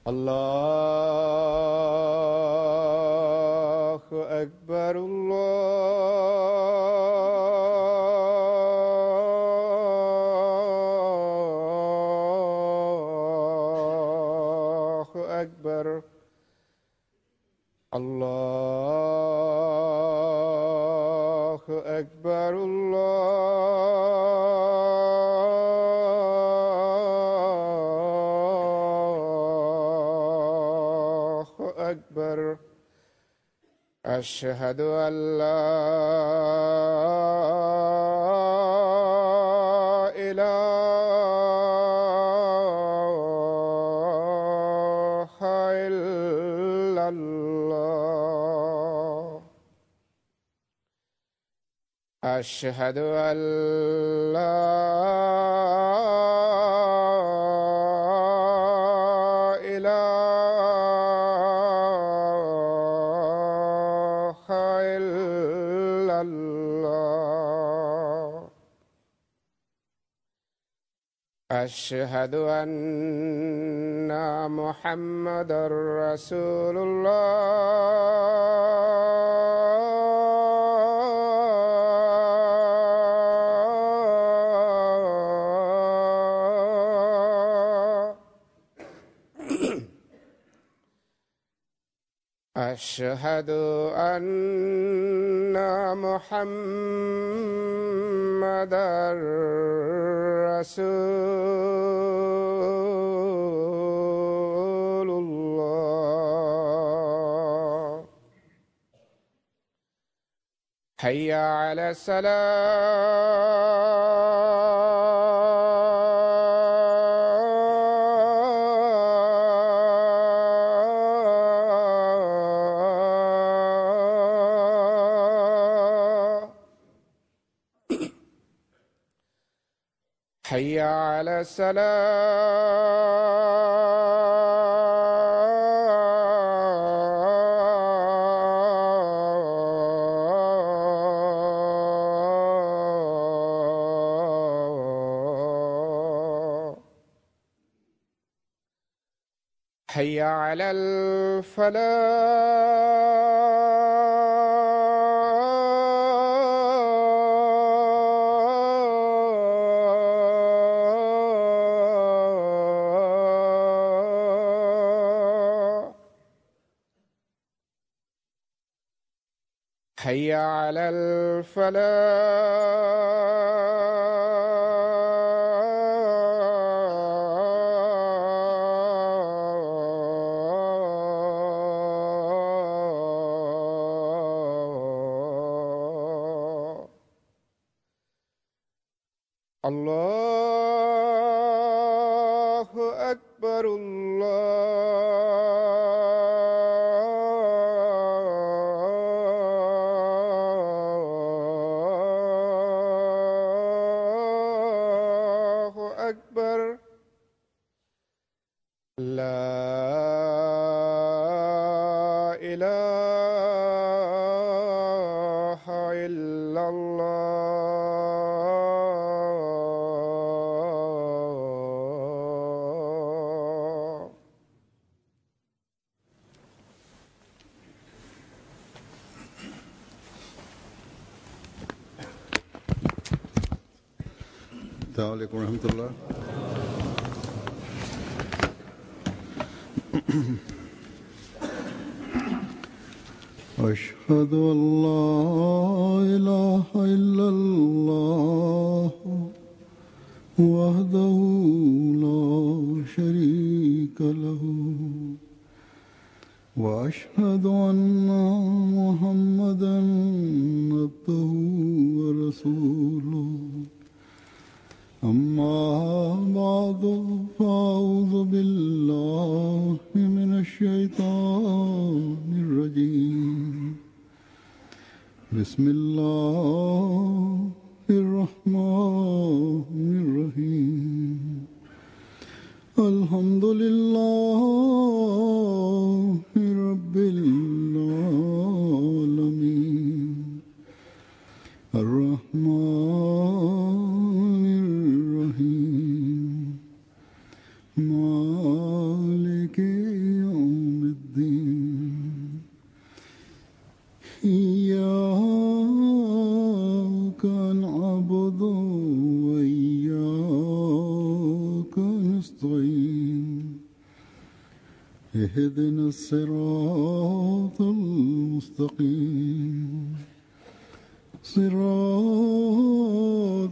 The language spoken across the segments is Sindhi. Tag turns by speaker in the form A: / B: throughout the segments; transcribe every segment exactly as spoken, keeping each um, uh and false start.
A: الله أكبر الله أكبر الله أكبر الله أكبر أشهد أن لا إله إلا الله أشهد أن لا إله إلا الله أشهد أن محمدا رسول الله أشهد أن محمدا رسول الله حي على السلام حي على السلام حي على الفلاح حي على الفلاح الله أكبر الله أكبر لا إله إلا الله
B: السلام عليكم ورحمة الله. أشهد أن لا إله إلا الله وحده لا شريك له وأشهد أن محمدا عبده ورسوله. أما بعد فأعوذ بالله من الشيطان الرجيم. بسم الله الرحمن الرحيم. الحمد لله رب العالمين الرحمن الرحيم مالك اهدنا الصراط المستقيم صراط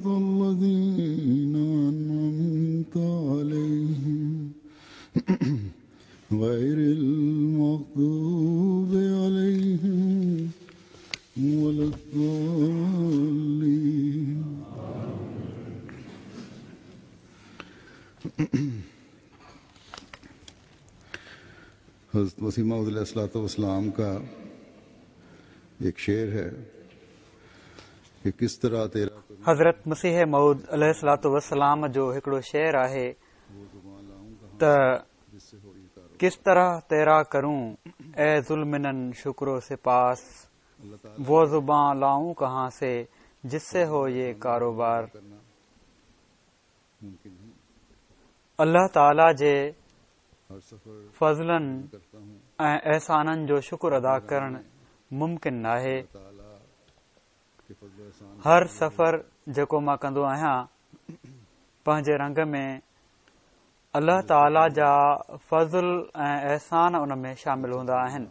B: الذين أنعمت عليهم غير المغضوب عليهم ولا الضالين.
C: हज़रत मसीह मौऊद अलैहिस्सलातु वस्सलाम का एक शेर है कि किस तरह तेरा
D: हज़रत मसीह मौऊद अलैहिस्सलातु वस्सलाम जो हिकिड़ो शेर आहे त किस तरह तेरा करूं ए ज़ुल्मिनन शुक्रो सिपास, वो ज़ुबान लाऊं कहां से जिससे हो ये कारोबार। अल्लाह ताला जे फज़लनि ऐं एहसाननि जो शुक्र अदा करण मुमकिन नाहे। हर सफ़र जेको मां कंदो आहियां पंहिंजे रंग में अल्लाह ताला जा फज़ल ऐं एहसान उन में शामिल हूंदा आहिनि।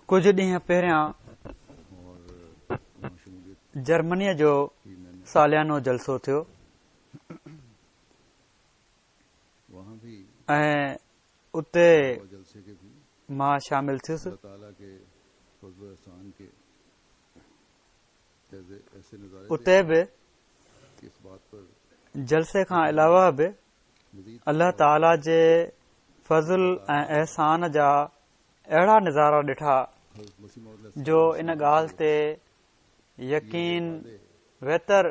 D: कुझु ॾींहं पहिरियां जर्मनीअ जो सालियानो जलसो थियो ऐं उते मां शामिल थियुसि। उते बि जलसे खां अलावा बि अल्लाह ताला जे फज़ल ऐं एहसान जा अहिड़ा नज़ारा ॾिठा जो इन ॻाल्हि ते यकीन वेतर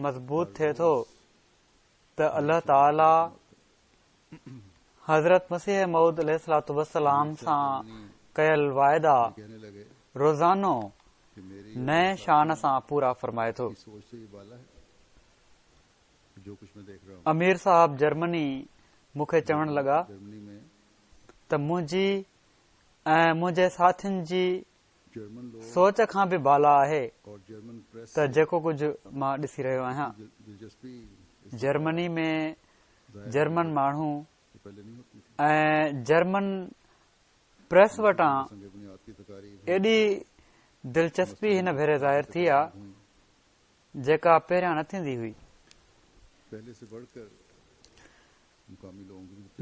D: मज़बूत थिए थो त अल्लाह ताला हज़रत मसीह मौऊद अलैहिस्सलातु वस्सलाम सां कयल वाइदा रोज़ानो नए शान सां पूरा फरमाए थो। अमीर साहब जर्मनी मूंखे चवण लॻा त मुंहिंजी ऐं मुंहिंजे साथियुनि जी सोच खां बि बाला आहे त जेको कुझु मां ॾिसी रहियो आहियां। जर्मनी में जर्मन माण्हू ऐं जर्मन प्रेस वटां एॾी दिलचस्पी हिन भेरे ज़ाहिर थी आहे जेका पहिरियां न थींदी हुई।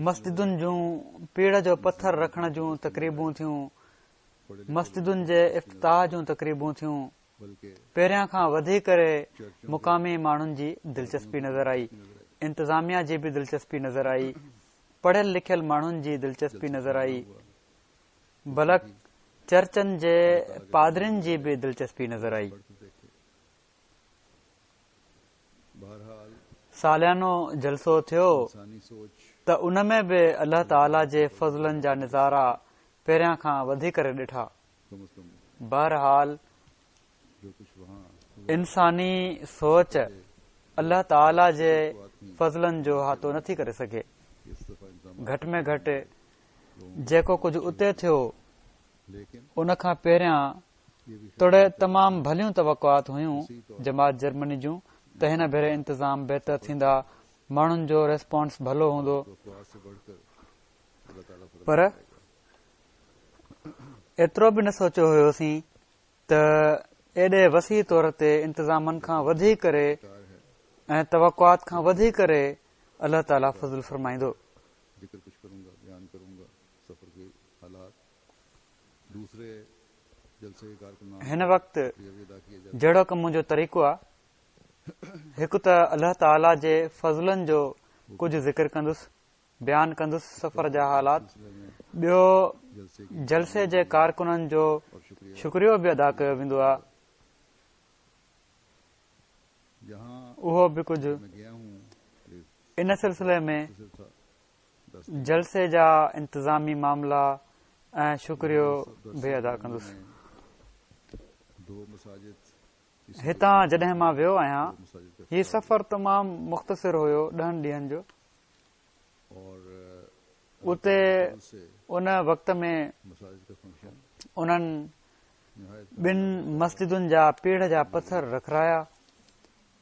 D: मस्जिदुनि जूं पीड़ जो पथर रखण जूं तक़रीबूं थियूं, मस्जिदुनि जे इफ्तिताह जूं तक़रीबूं थियूं। पहिरियां खां वधी करे मुक़ामी माण्हुनि जी दिलचस्पी नज़र आई, इंतिज़ामिया जी बि दिलचस्पी नज़र आई, पढ़ियल लिखियल माण्हुनि जी दिलचस्पी नज़र आई, बल्कि चर्चनि जे पादरियुनि जी बि दिलचस्पी नज़र आई। सालियानो जलसो थियो त उन में बि अल्लाह ताला जे फज़लनि जा नज़ारा पहिरियां खां वधी करे ॾिठा। बहरहाल इंसानी सोच अल्लाह ताला जे फज़लनि जो हातो नथी करे सघे। घटि में घटि जेको कुझु उते थियो उन खां पहिरियां तोड़े तमाम भलियूं तवक़ुआत हुयूं जमात जर्मनी जूं त हिन भेरे इंतज़ाम बहितर थींदा, माण्हुनि जो रिस्पॉन्स भलो हूंदो, पर एतिरो बि न सोचियो हुयोसीं त एॾे वसी तौर ते इंतज़ामनि खां वधी करे ऐं तवक़ुआत खां वधी करे अल्लाह ताला फज़ल फरमाईंदो। हिन वक़्तु जहिड़ो कम मुंहिंजो तरीक़ो आहे, हिकु त अल्लाह ताला जे फज़लनि जो कुझु ज़िक्र कंदुसि, बयान कंदुसि सफ़र जा हालात, ॿियो जलसे जे कारकुननि जो शुक्रियो बि अदा कयो वेंदो आहे, उहो बि कुझु। इन सिलसिले में जलसे जा इंतज़ामी मामला ऐं शुक्रियो बि अदा कंदुसि। हितां जॾहिं मां वियो आहियां, हीउ सफ़र तमामु मुख़्तसिर हुयो, ॾहनि ॾींहनि जो। उते उन वक़्त में उन्हनि ॿिनि मस्जिदुनि जा पीढ़ जा पथर रखराया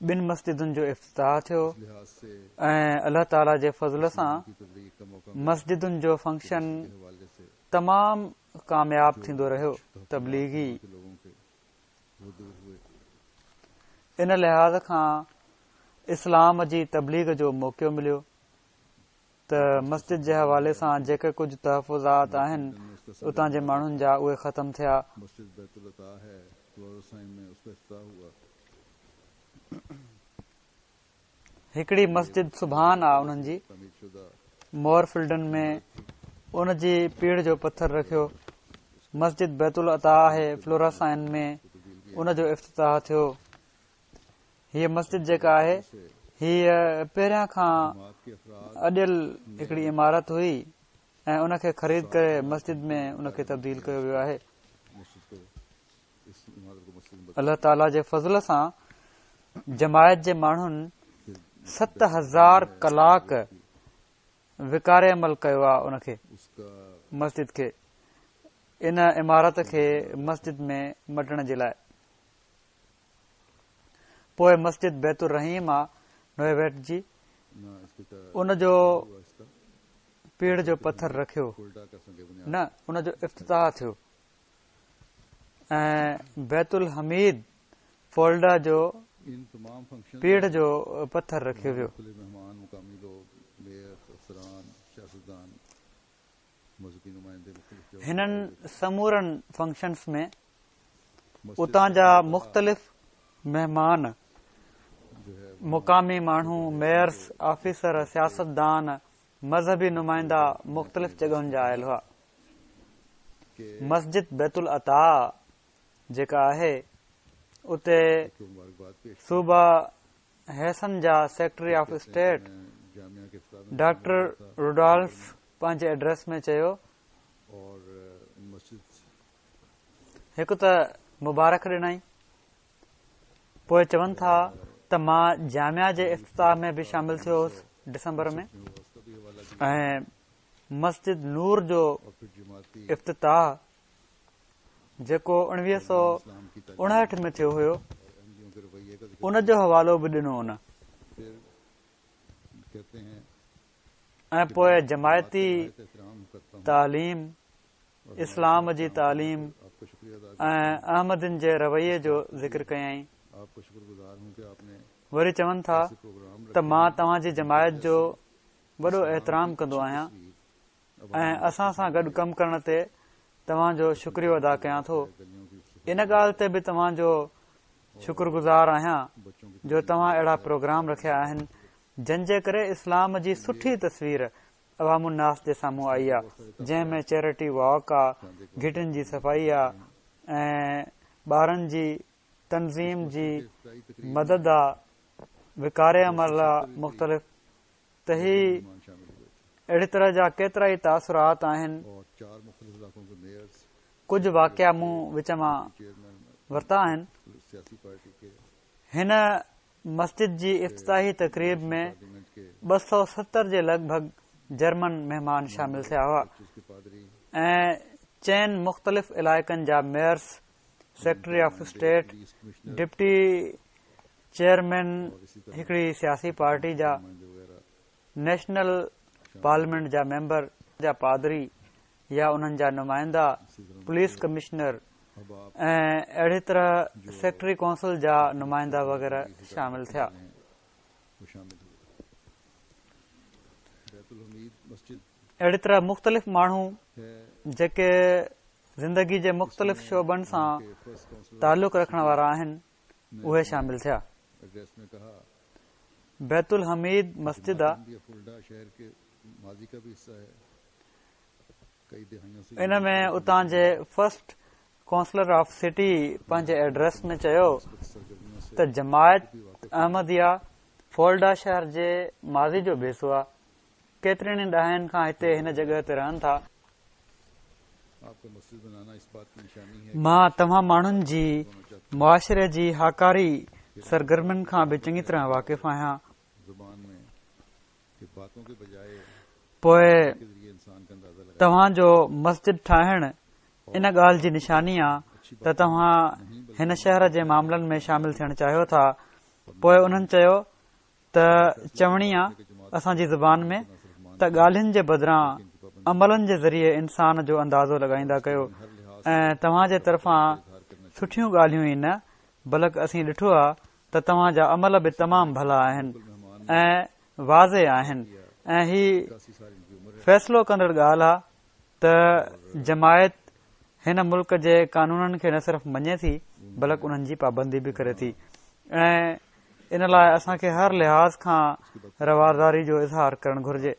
D: ٻن مسجدن جو افتتاح ٿيو ۽ الله تعاليٰ جي فضل سان مسجدن جو فنڪشن تمام ڪامياب ٿيندو رهيو. تبليغي ان لحاظ کان اسلام جي تبليغ جو موقعو مليو ته مسجد جي حوالي سان جيڪي ڪجهه تحفظات آهن اتان جي ماڻهن جا اهي ختم ٿيا. هڪڙي مسجد سبحان آ انهن جي مورفلڊن ۾ ان جي پيڙهه جو پٿر رکيو. مسجد بيت العطا آهي فلوراسائن ۾ ان جو افتتاح ٿيو. هيء مسجد جيڪا آهي هيء پهريان کان اڏيل هڪڙي عمارت هئي ۽ ان کي خريد ڪري مسجد ۾ ان کي تبديل ڪيو ويو آهي. الله تعاليٰ جي فضل سان جماعت جي ماڻهن ست هزار ڪلاڪ وقار عمل ڪيو آهي ان کي مسجد کي ان عمارت کي مسجد ۾ مٽڻ جي لاءِ. پوءِ مسجد بيت الرحيم آ نويويٽ جي ان جو پيڙهه جو پٿر رکيو نه ان جو افتتاح ٿيو. ۽ بيت الحميد فولڊا جو پيڙهه جو پٿر رکيو ويو. هنن سمورن فنڪشنس ۾ اتان جا مختلف مهمان، مقامي ماڻهو، ميئرس، آفيسر، سياستدان، مذهبي نمائندا مختلف جڳهن جا آيل هئا. مسجد بيت العطا جيڪا آهي اتي صوبه هيسن جا secretary of state doctor Rudolf پنهنجي ايڊريس ۾ چيو، هڪ ته مبارڪ ڏنائين، پوءِ چون ٿا ته مان جامعه جي افتتاح ۾ به شامل ٿيو هوس ڊسمبر ۾ ۽ مسجد نور جو افتتاح جيڪو اڻويهه سؤ اڻهٺ ۾ ٿيو هيو ان جو حوالو به ڏنو ان. ۽ پوءِ جماعتي تعليم، اسلام جي تعليم ۽ احمدين جي رويي جو ذڪر ڪيائين. وري چون ٿا ته مان توهان جي جماعت جو وڏو احترام ڪندو آهيان ۽ اسان سان گڏ ڪم ڪرڻ تي توهان جو شڪريو ادا ڪيان ٿو. ان ڳالهه تي به توهان جو شڪر گذار آهيان جو توهان اهڙا پروگرام رکيا آهن جن جي ڪري اسلام جي سٺي تصوير عوام الناس جي سامهون آئي آهي، جنهن ۾ چيرٽي واڪ آهي، گهٽين جي صفائي آهي ۽ ٻارن جي تنظيم جي مدد آهي، وقار عمل آهي مختلف. ته هي اهڙي طرح جا ڪيترا ئي تاثرات آهن. ڪجهه واقعا مون وچ مان ورتا آهن. هن مسجد جي افتتاحي تقريب ۾ ٻه سؤ ستر جي لڳ ڀڳ جرمن مهمان شامل ٿيا هئا ۽ چئن مختلف علائقن جا mayors, secretary of state, deputy chairman هڪڙي سياسي پارٽي جا، نيشنل پارليامينٽ جا ميمبر، جا پادري يا انهن جا نمائندا، پوليس ڪمشنر ۽ اهڙي طرح سيڪريٽري ڪائونسل جا نمائندا وغيره شامل ٿيا. اهڙي طرح مختلف ماڻهو جيڪي زندگي جي مختلف شعبن سان تعلق رکڻ وارا آهن اهي شامل ٿيا. بيت الحميد مسجد آ، ان ۾ اتان جي فرسٽ ڪائونسلر آف سٽي پنهنجي ايڊريس ۾ چيو ته جماعت احمديه فولڊا شهر جي ماضي جو به حصو آهي. ڪيترن ئي ڏهائن کان هتي هن جڳهه تي رهن ٿا. مان توهان ماڻهن جي معاشري جي هاڪاري سرگرمين کان به چڱي طرح واقف آهيان. پوءِ توهان جو مسجد ٺاهڻ ان ڳالهه جي نشاني آهي ته توهان هن شهر جي معاملن ۾ شامل ٿيڻ چاهيو ٿا. پوءِ انهن چيو ته چوڻي آ اسان جي زبان ۾ ته ڳالهين جي بدران عملن جي ذريعي انسان جو اندازو لڳائيندا ڪيو ۽ توهان جي طرفان سٺيون ڳالهيون ئي نه بلڪ اسين ڏٺو آهي ته توهان جا عمل به تمام ڀلا آهن ۽ واضح آهن ۽ هي فيصلو ڪندڙ ڳالهه آهي ته جماعت هن ملڪ جي قانونن کي نه صرف مڃي ٿي بلڪ انهن جي پابندي به ڪري ٿي ۽ ان لاءِ اسان کي هر لحاظ کان رواداري جو اظهار ڪرڻ گهرجي.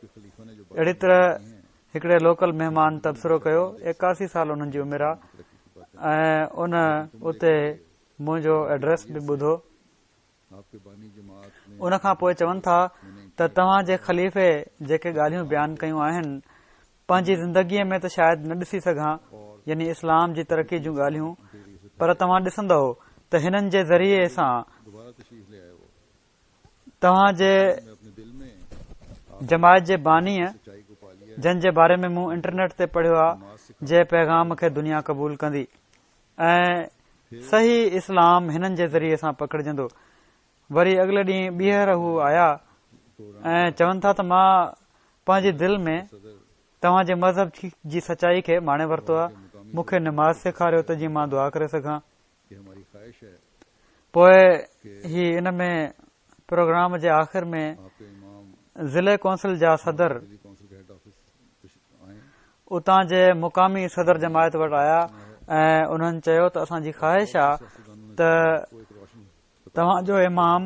D: اهڙي طرح هڪڙي لوڪل مهمان تبصرو ڪيو، ايڪاسي سال انهن جي عمر آهي ۽ ان اتي منهنجو ايڊريس به ٻڌو. ان کان پوءِ چون ٿا ته توهان جي خليفي جيڪي ڳالهيون بيان ڪيون آهن پنهنجي زندگيءَ ۾ ته شايد نه ڏسي سگهان، يعني اسلام جي ترقي جون ڳالهيون، پر توهان ڏسندؤ ته هنن جي ذريعي سان توهان جي جماعت جي بانيءَ جن جي باري ۾ مون انٽرنيٽ تي پڙهيو آهي جي پيغام کي دنيا قبول ڪندي ۽ صحيح اسلام هنن جي ذريعي سان پکڙجندو. وري اڳلي ڏينهن ٻيهر هو آيا ۽ چون ٿا ته مان پنهنجي دل ۾ توهان جي مذهب جي سچائي کي ماڻي ورتو آهي، مون کي نماز سيکاريو ته جيئن مان دعا ڪري سگهان. پوءِ هي ان ۾ پروگرام جي آخر ۾ ضلعي ڪونسل جا صدر اتان جي مقامي صدر جماعت وٽ آيا ۽ انهن چيو ته اسان جي خواهش آهي ته توهان جو امام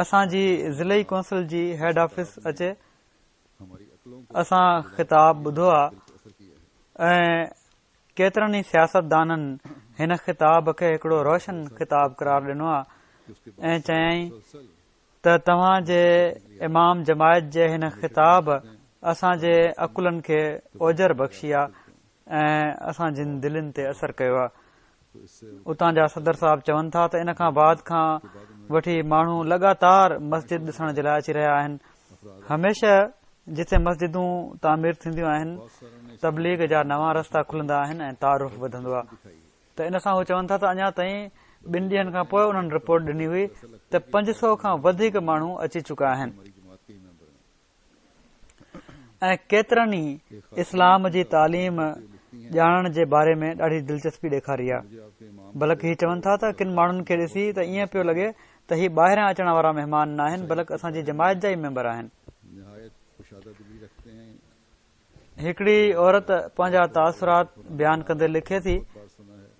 D: اسان جي ضلعي ڪونسل جي هيڊ آفيس اچي. اسان خطاب ٻڌو آهي ۽ ڪيترن ئي سياستدانن هن خطاب کي هڪڙو روشن خطاب قرار ڏنو آهي ۽ چيائين ته توهان جي امام جماعت جي هن خطاب اسان جي عقلن کي اوجر بخشي آهي ۽ اسان جن دلين تي اثر ڪيو آهي. اتان جا صدر صاحب چون ٿا ته ان کان بعد کان وٺي ماڻهو لڳاتار مسجد ڏسڻ جي لاءِ اچي رهيا آهن. هميشه جتي مسجدون تعمير ٿينديون آهن تبليغ جا نوان رستا کلندا آهن ۽ تعارف وڌندو آهي. ته ان سان هو چون ٿا ته اڃا تائين ٻن ڏينهن کان پوءِ انهن رپورٽ ڏني هئي ته پنج سؤ کان وڌيڪ ماڻهو اچي چڪا آهن ۽ ڪيترن ئي اسلام جي تعليم ڄاڻڻ جي باري ۾ ڏاڍي دلچسپي ڏيکاري آهي. بلڪ هي چون ٿا ته ڪن ماڻهن کي ڏسي ته ائين پيو لڳي ته هي ٻاهران اچڻ وارا مهمان نه آهن بلڪ اسان جي جماعت جا ئي ميمبر آهن. هڪڙي عورت پنهنجا تاثرات بيان ڪندي لکي ٿي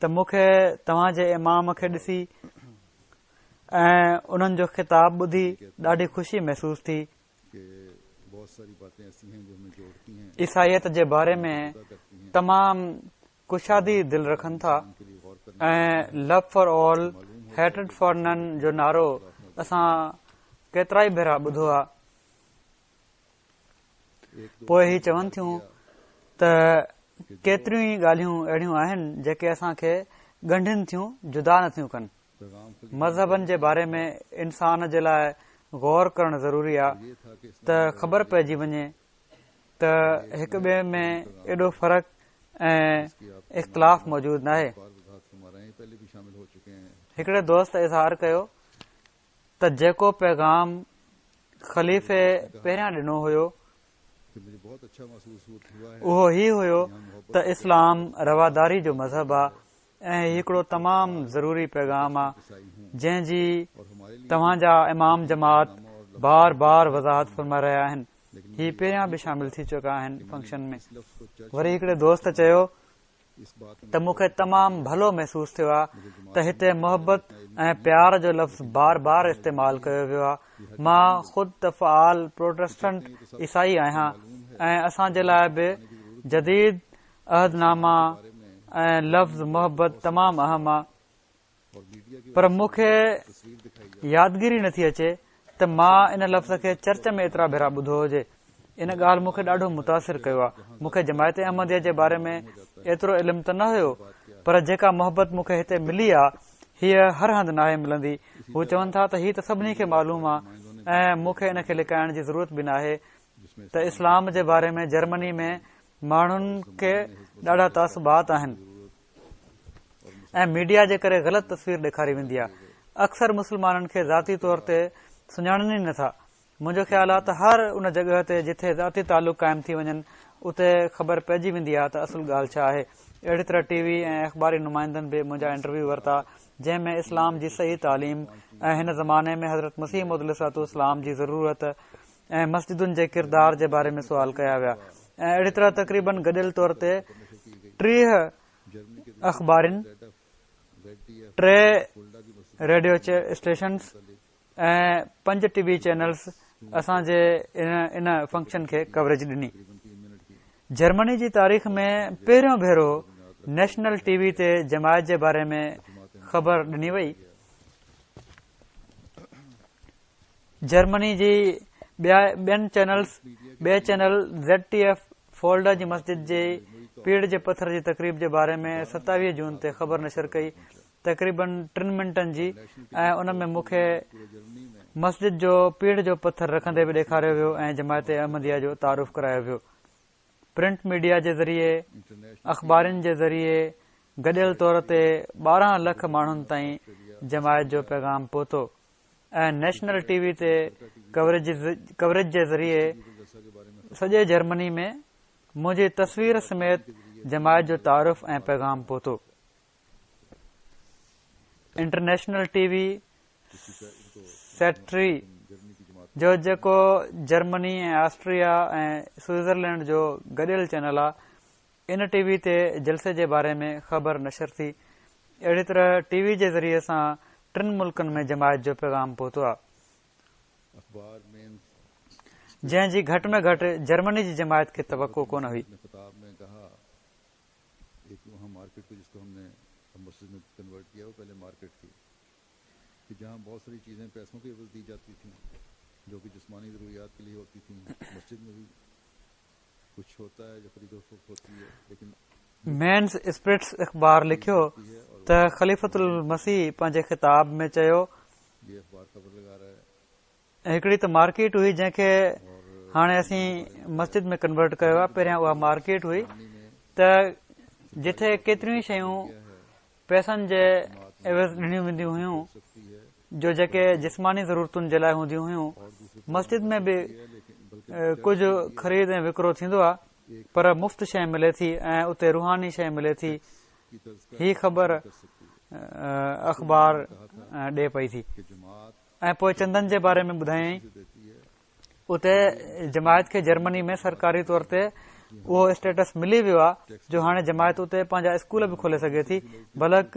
D: ته مون کي توهان جي امام کي ڏسي ۽ انهن جو خطاب ٻڌي ڏاڍي خوشي محسوس ٿي. عيسائيت جي باري ۾ تمام ڪشادي دل رکن ٿا ۽ love for all hatred for none جو نعرو اسان ڪيترا ئي ڀيرا ٻڌو آهي. پوءِ هي چون ٿيون ته ڪيتريون ئي ڳالهيون اهڙيون آهن جيڪي اسان کي ڳنڍن ٿيون، جدا نٿيون ڪن. مذهبن جي باري ۾ انسان جي لاءِ غور ڪرڻ ضروري آهي ته خبر پئجي وڃي ته هڪ ٻئي ۾ ايڏو فرق ۽ اختلاف موجود ناهي. هڪڙي دوست اظهار ڪيو ته جيڪو پيغام خليفي پهريان ڏنو هيو اهو هي هيو ته اسلام رواداري جو مذهب آهي ۽ هي هڪڙو تمام ضروري پيغام آهي جنهن جي توهان جا امام جماعت بار بار وضاحت فرمائي رهيا آهن. هي پهريان به شامل ٿي چڪا آهن فنڪشن ۾. وري هڪڙي دوست چيو ته مون کي تمام ڀلو محسوس ٿيو آهي ته هتي محبت ۽ پيار جو لفظ بار بار استعمال ڪيو ويو آهي. مان خود ته فعال پروٽيسٽنٽ عيسائي آهيان ۽ اسان جي لاءِ به جديد عهدناما ۽ لفظ محبت تمام اهم آهي، پر مون کي يادگيري نٿي اچي ته مان ان لفظ کي چرچ ۾ ايترا ڀيرا ٻڌو هجي. ان ڳالهه مون کي ڏاڍو متاثر ڪيو آهي. مون کي جماعت احمديه جي باري ۾ ايترو علم ته نه هيو، پر جيڪا محبت مون کي هتي ملي آهي هيءَ هر هنڌ ناهي ملندي. هو چون ٿا ته هي ته سڀني کي معلوم آهي ۽ مون کي ان کي لڪائڻ جي ضرورت به ناهي ته اسلام جي باري ۾ جرمني ۾ ماڻهن کي ڏاڍا تعصبات آهن ۽ ميڊيا جي ڪري غلط تصوير ڏيکاري ويندي آهي. اڪثر مسلمانن کي ذاتي طور تي سڃاڻن ئي نٿا. منهنجو خيال آهي ته هر ان جڳهه تي جتي ذاتي تعلق قائم ٿي وڃن اتي خبر پئجي ويندي آهي ته اصل ڳالهه ڇا آهي. اهڙي طرح ٽي وي ۽ اخباري نمائندن به منهنجا انٽرويو ورتا، جنهن ۾ اسلام جي صحيح تعليم ۽ هن زماني ۾ حضرت مسيح موعود عليه الصلوة والسلام جي ضرورت ۽ مسجدن جي ڪردار جي باري ۾ سوال ڪيا ويا. ۽ اهڙي طرح تقريبن گڏيل طور تي ٽيهه اخبارن، ٽي ريڊيو اسٽيشنز ۽ پنج ٽي وي چينلز اسان جي ان فنڪشن کي ڪوريج ڏني. جرمني جي تاريخ ۾ پهريون ڀيرو نيشنل ٽي وي تي جماعت جي باري ۾ خبر ڏني وئي. جرمني جي ٻين چينلز ٻئي چينل زيڊ ٽي ايف فولڊا جي مسجد جي پيڙهه جي پٿر جي تقريب جي باري ۾ ستاويهه جون تي خبر نشر ڪئي، تقريبن ٽن منٽن جي، ۽ ان ۾ مون کي مسجد جو پيڙهه جو پٿر رکندي به ڏيکاريو ويو ۽ جماعت احمديه جو تعارف ڪرايو ويو. پرنٽ ميڊيا جي ذريعي، اخبارن جي ذريعي گڏيل طور تي ٻارهن لک ماڻهن تائين جماعت جو پيغام پهتو ۽ نيشنل ٽي وي تي ڪوريج جي ذريعي سڄي جرمني ۾ منهنجي تصوير سميت جماعت جو تعارف ۽ پيغام پهتو. انٽرنيشنل ٽي وي سيٽري جو جيڪو جرمني ۽ آسٽريا ۽ سوئٽزرلينڊ جو گڏيل چينل آهي، ان ٽي وي تي جلسي جي باري ۾ خبر نشر ٿي. اهڙي طرح ٽي وي جي ذريعي سان ٽن ملڪن ۾ جماعت جو پيغام پهتو آهي، جنهن جي گهٽ ۾ گهٽ جرمني جي جماعت کي توقع ڪونه هئي. مينز اسپرٽس اخبار لکيو ته خليفة المسيح پنهنجي خطاب ۾ چيو، هڪڙي ته مارڪيٽ هئي جنهن کي هاڻي اسين مسجد ۾ ڪنورٽ ڪيو آهي، پهريان اها مارڪيٽ هئي ته جتي ڪيتريون ئي شيون پئسن جي عيوض ڏنيون وينديون هيون، جو جيڪي جسماني ضرورتن جي لاءِ هونديون هيون. مسجد ۾ به ڪجهه خريد ۽ وڪرو ٿيندو آهي، پر مفت شيءِ ملي ٿي ۽ اتي روحاني شيءِ ملي ٿي. هي خبر اخبار ڏي پئي ٿي. ۽ پوءِ چندن جي باري ۾ ٻڌايائين. اتي جماعت کي جرمني ۾ سرڪاري طور تي اهو اسٽيٽس ملي ويو آهي جو هاڻي جماعت اتي پنهنجا اسڪول به کولي سگهي ٿي، بلڪ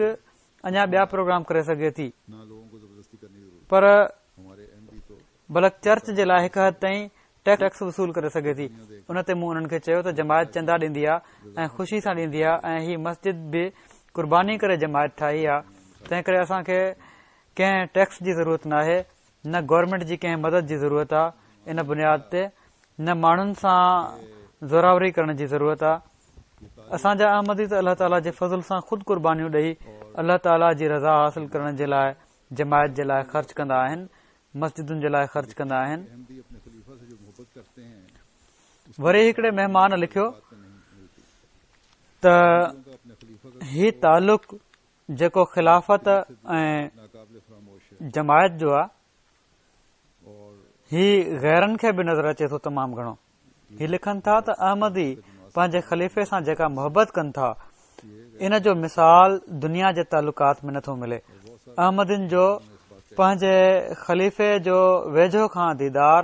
D: اڃا ٻيا پروگرام ڪري سگهي ٿي، پر بلڪ چرچ جي لاءِ هڪ حد تائين ٽيڪس وصول ڪري سگهي ٿي. ان تي مون انهن کي چيو ته جماعت چندا ڏيندي آهي ۽ خوشي سان ڏيندي آهي، ۽ هي مسجد به قرباني ڪري جماعت ٺاهي آهي، تنهن ڪري اسان کي ڪنهن ٽيڪس جي ضرورت ناهي، نه گورنمينٽ جي ڪنهن مدد جي ضرورت آهي ان بنياد تي، نه ماڻهن سان زوراوري ڪرڻ جي ضرورت آهي. اسان جا احمدي ته الله تعاليٰ جي فضل سان خود قربانيون ڏئي الله تعاليٰ جي رضا حاصل ڪرڻ جي لاءِ جماعت جي لاءِ خرچ ڪندا آهن، مسجدن جي لاءِ خرچ ڪندا آهن. وري هڪڙي مهمان لکيو ته هي تعلق جيڪو خلافت ۽ جماعت جو آهي، هي غيرن کي به نظر اچي ٿو تمام گهڻو. هي لکن ٿا ته احمدي پنهنجي خليفي سان جيڪا محبت ڪن ٿا، ان جو مثال دنيا جي تعلقات ۾ نٿو ملي. احمدين جو پنهنجي خليفي جو ويجهو کان ديدار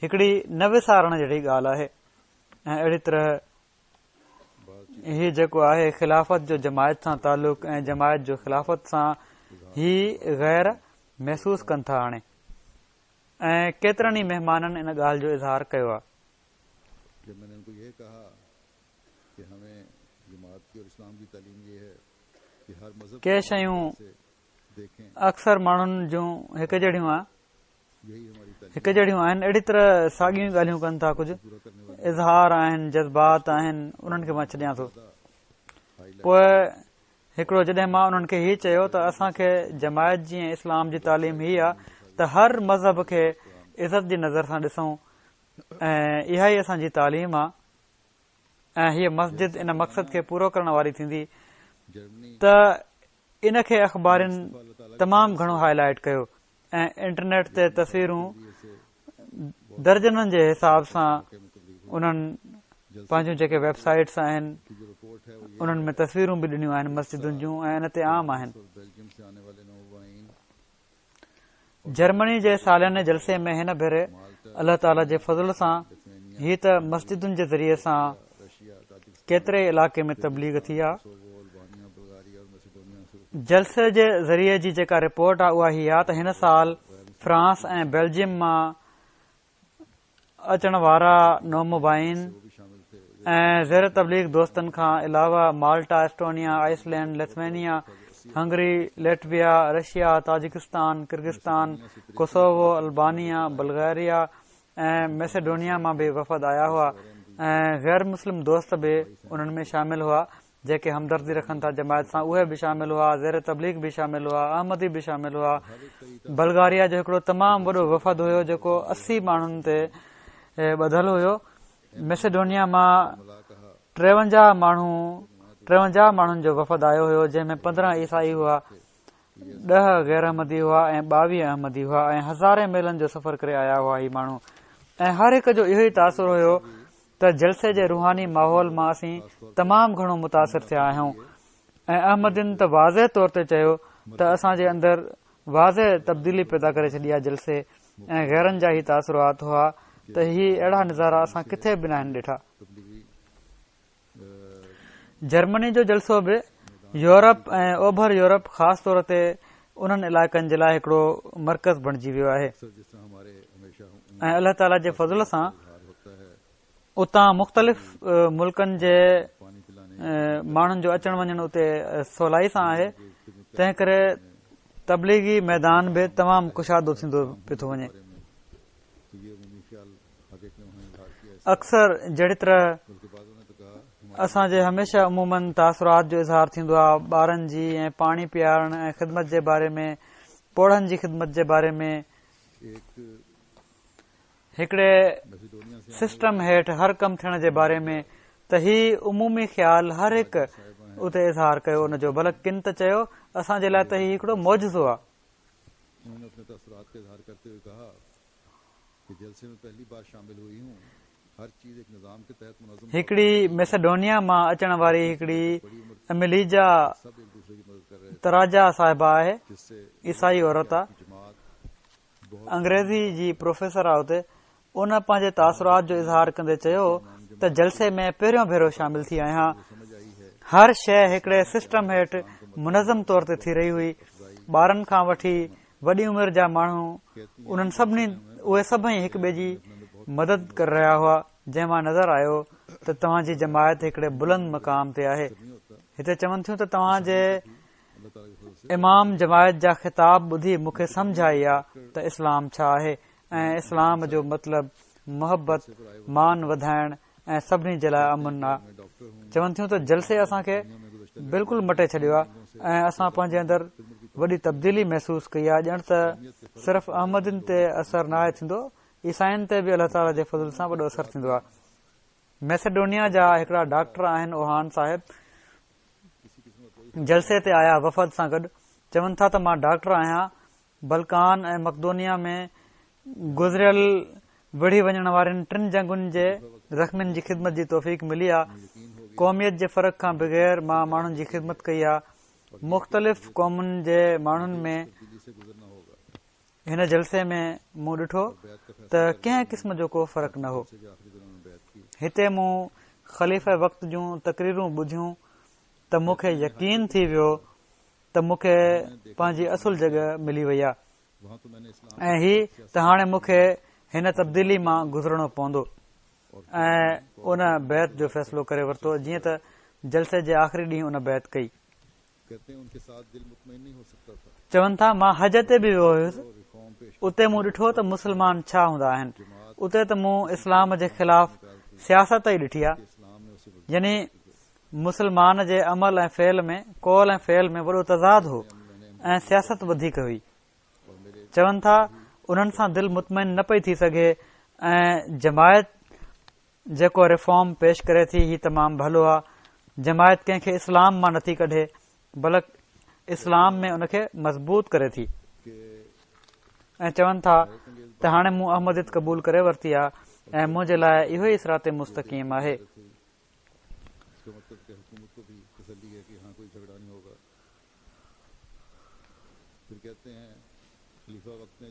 D: هڪڙي نه وسارڻ جهڙي ڳالهه آهي. ۽ اهڙي طرح هي جيڪو آهي خلافت جو جماعت سان تعلق ۽ جماعت جو خلافت سان، هي غير محسوس ڪن ٿا هاڻي. ۽ ڪيترن ئي مهمانن ان ڳالهه جو اظهار ڪيو آهي. ڪي شيون اڪثر ماڻهن جون هڪ جهڙيون آهن هڪ جهڙيون آهن، اهڙي طرح ساڳيون ڳالهيون ڪن ٿا. ڪجهه اظهار آهن، جذبات آهن، انهن کي مان ڇڏيان ٿو. پوءِ هڪڙو جڏهن مان انهن کي هي چيو ته اسان کي جماعت جي ۽ اسلام جي تعليم هي آهي ته هر مذهب کي عزت جي نظر سان ڏسون، ۽ اها ئي اسان جي تعليم آهي، ۽ هيءَ مسجد ان مقصد کي پورو ڪرڻ واري ٿيندي، ته ان کي اخبارن تمام گهڻو هاءِ لائيٽ ڪيو ۽ انٽرنيٽ تي تصويرون درجنن جي حساب سان انهن پنهنجون جيڪي ويب سائيٽس آهن انهن ۾ تصويرون به ڏنيون آهن مسجدن جون ۽ ان تي عام آهن. جرمني جي سالياني جلسي ۾ هن ڀيري الله تعاليٰ جي فضل سان هي ته مسجدن جي ذريعي سان ڪيتري علائقي ۾ تبليغ ٿي آهي. جلسي جي ذريعي جي جيڪا رپورٽ آهي اها هي آهي ته هن سال فرانس ۽ بيلجيم مان اچڻ وارا نومبائعين ۽ زير تبليغ دوستن کان علاوه Malta, Estonia, Iceland, Lithuania, Hungary, Latvia, Russia, Tajikistan, Kyrgyzstan, Kosovo, Albania, Bulgaria ۽ Macedonia مان به وفد آيا هئا ۽ غير مسلم دوست به انهن ۾ شامل هئا جيڪي همدردي رکن ٿا جماعت سان، اهي به شامل هئا، زير تبليغ به شامل هئا، احمدي به شامل هئا. بلغاريا جو هڪڙو تمام وڏو وفد هيو جيڪو اسي ماڻهن تي ٻڌل هيو. ميسيڊونيا مان ٽيونجاهه ماڻهو ٽيونجاهه ماڻهن جو وفد آيو هيو جنهن ۾ پندرهن عيسائي هئا، ڏهه غير احمدي هئا ۽ ٻاويهه احمدي هئا ۽ هزارين ميلن جو سفر ڪري آيا هئا هي ماڻهو. ۽ هر هڪ جو اهو ئي تاثر هيو ته جلسي جي روحاني ماحول مان اسين تمام گهڻو متاثر ٿيا آهيون ۽ احمدين ته واضح طور تي چيو ته اسان جي اندر واضح تبديلي پيدا ڪري ڇڏي آهي جلسي ۽ غيرن جا هي تاثرات هئا ته هي اهڙا نظارا اسان ڪٿي به ناهن ڏٺا. جرمني جو جلسو به يورپ ۽ اوڀر يورپ خاص طور تي انهن علائقن جي لاءِ هڪڙو مرڪز بڻجي ويو آهي ۽ الله تعاليٰ جي فضل سان اتان مختلف ملڪن جي ماڻهن جو اچڻ وڃڻ اتي سولائي سان آهي، تنهن ڪري تبليغي ميدان به تمام ڪشادو ٿيندو پيو ٿو وڃي. اڪثر جهڙي طرح اسان جي هميشه عموماً تاثرات جو اظهار ٿيندو آهي ٻارن جي ۽ پاڻي پيارڻ ۽ خدمت جي باري ۾، پوڙهن جي خدمت جي باري ۾، هڪڙي سسٽم هيٺ هر ڪم ٿيڻ جي باري ۾، ته هي عمومي خيال هر هڪ اتي اظهار ڪيو ان جو، بلڪ ڪن ته چيو اسان جي لاءِ ته هي هڪڙو معجزو آهي. هڪڙي ميسيڊونيا مان اچڻ واري هڪڙي اميليجا تراجا صاحبه آهي، عيسائي عورت آهي، انگريزي جي پروفيسر آهي. اتي ان پنهنجي تاثرات جو اظهار ڪندي چيو ته جلسي ۾ پهريون ڀيرو شامل ٿي آهيان، هر شيءِ هڪڙي سسٽم هيٺ منظم طور تي ٿي رهي هئي. ٻارن کان وٺي وڏي عمر جا ماڻهو انهن سڀني اهي سڀئي هڪ ٻئي جي مدد ڪري رهيا هئا، جنهن مان نظر آيو ته توهان جي جماعت هڪڙي بلند مقام تي آهي. هتي چون ٿيون ته توهان جي امام جماعت جا خطاب ٻڌي مون کي سمجهه آئي آ ته اسلام ڇا آهي ۽ اسلام جو مطلب محبت، مان وڌائڻ ۽ سڀني جي لاءِ امن آ. چون ٿيون ته جلسي اسان کي بلڪل مٽي ڇڏيو آ ۽ اسان پنهنجي اندر وڏي تبديلي محسوس ڪئي آ، ڄڻ ته صرف احمدين تي اثر ناهي ٿيندو، عيسائين تي به الله تعاليٰ جي فضل سان وڏو اثر ٿيندو آ. ميسيڊونيا جا هڪڙا ڊاڪٽر آهن اوهان صاحب، جلسي تي آيا وفد سان گڏ. چون ٿا ته مان ڊاڪٽر آهيان، بلڪان ۽ مقدونيا ۾ گذريل وڙهي وڃڻ وارين ٽن جنگن جي زخمين جي خدمت جي توفيق ملي آ. قوميت جي فرق کان بغير مان ماڻهن جي خدمت ڪئي آ. مختلف قومن جي ماڻهن ۾ هن جلسي ۾ مون ڏٺو ته ڪنهن قسم جو ڪو فرق نه هو. هتي مون خليفه وقت جون تقريرون ٻڌيون ته مون کي يقين ٿي ويو ته مون کي پنهنجي اصل جڳهه ملي وئي آهي ۽ هي ته هاڻي مون کي هن تبديلي مان گذرڻو پوندو ۽ ان بيعت جو فيصلو ڪري ورتو، جيئن ته جلسي جي آخري ڏينهن ان بيعت ڪئي. چون ٿا مان حج تي به ويو هيس، اتي مون ڏٺو ته مسلمان ڇا هوندا آهن. اتي ته مون اسلام جي خلاف سياست ئي ڏٺي آهي، يعني مسلمان جي عمل ۽ فعل ۾ قول ۽ فعل ۾ وڏو تضاد هو ۽ سياست وڌيڪ هئي. چون ٿا انهن سان دل مطمئن نه پئي ٿي سگهي ۽ جماعت جيڪو ريفارم پيش ڪري ٿي هي تمام ڀلو آهي. جماعت ڪنهن کي اسلام مان نٿي ڪڍي، بلڪ اسلام ۾ ان کي مضبوط ڪري ٿي. ۽ چون ٿا ته هاڻي مون احمديت قبول ڪري ورتي آهي ۽ منهنجي لاءِ اهو ئي صراط مستقيم آهي.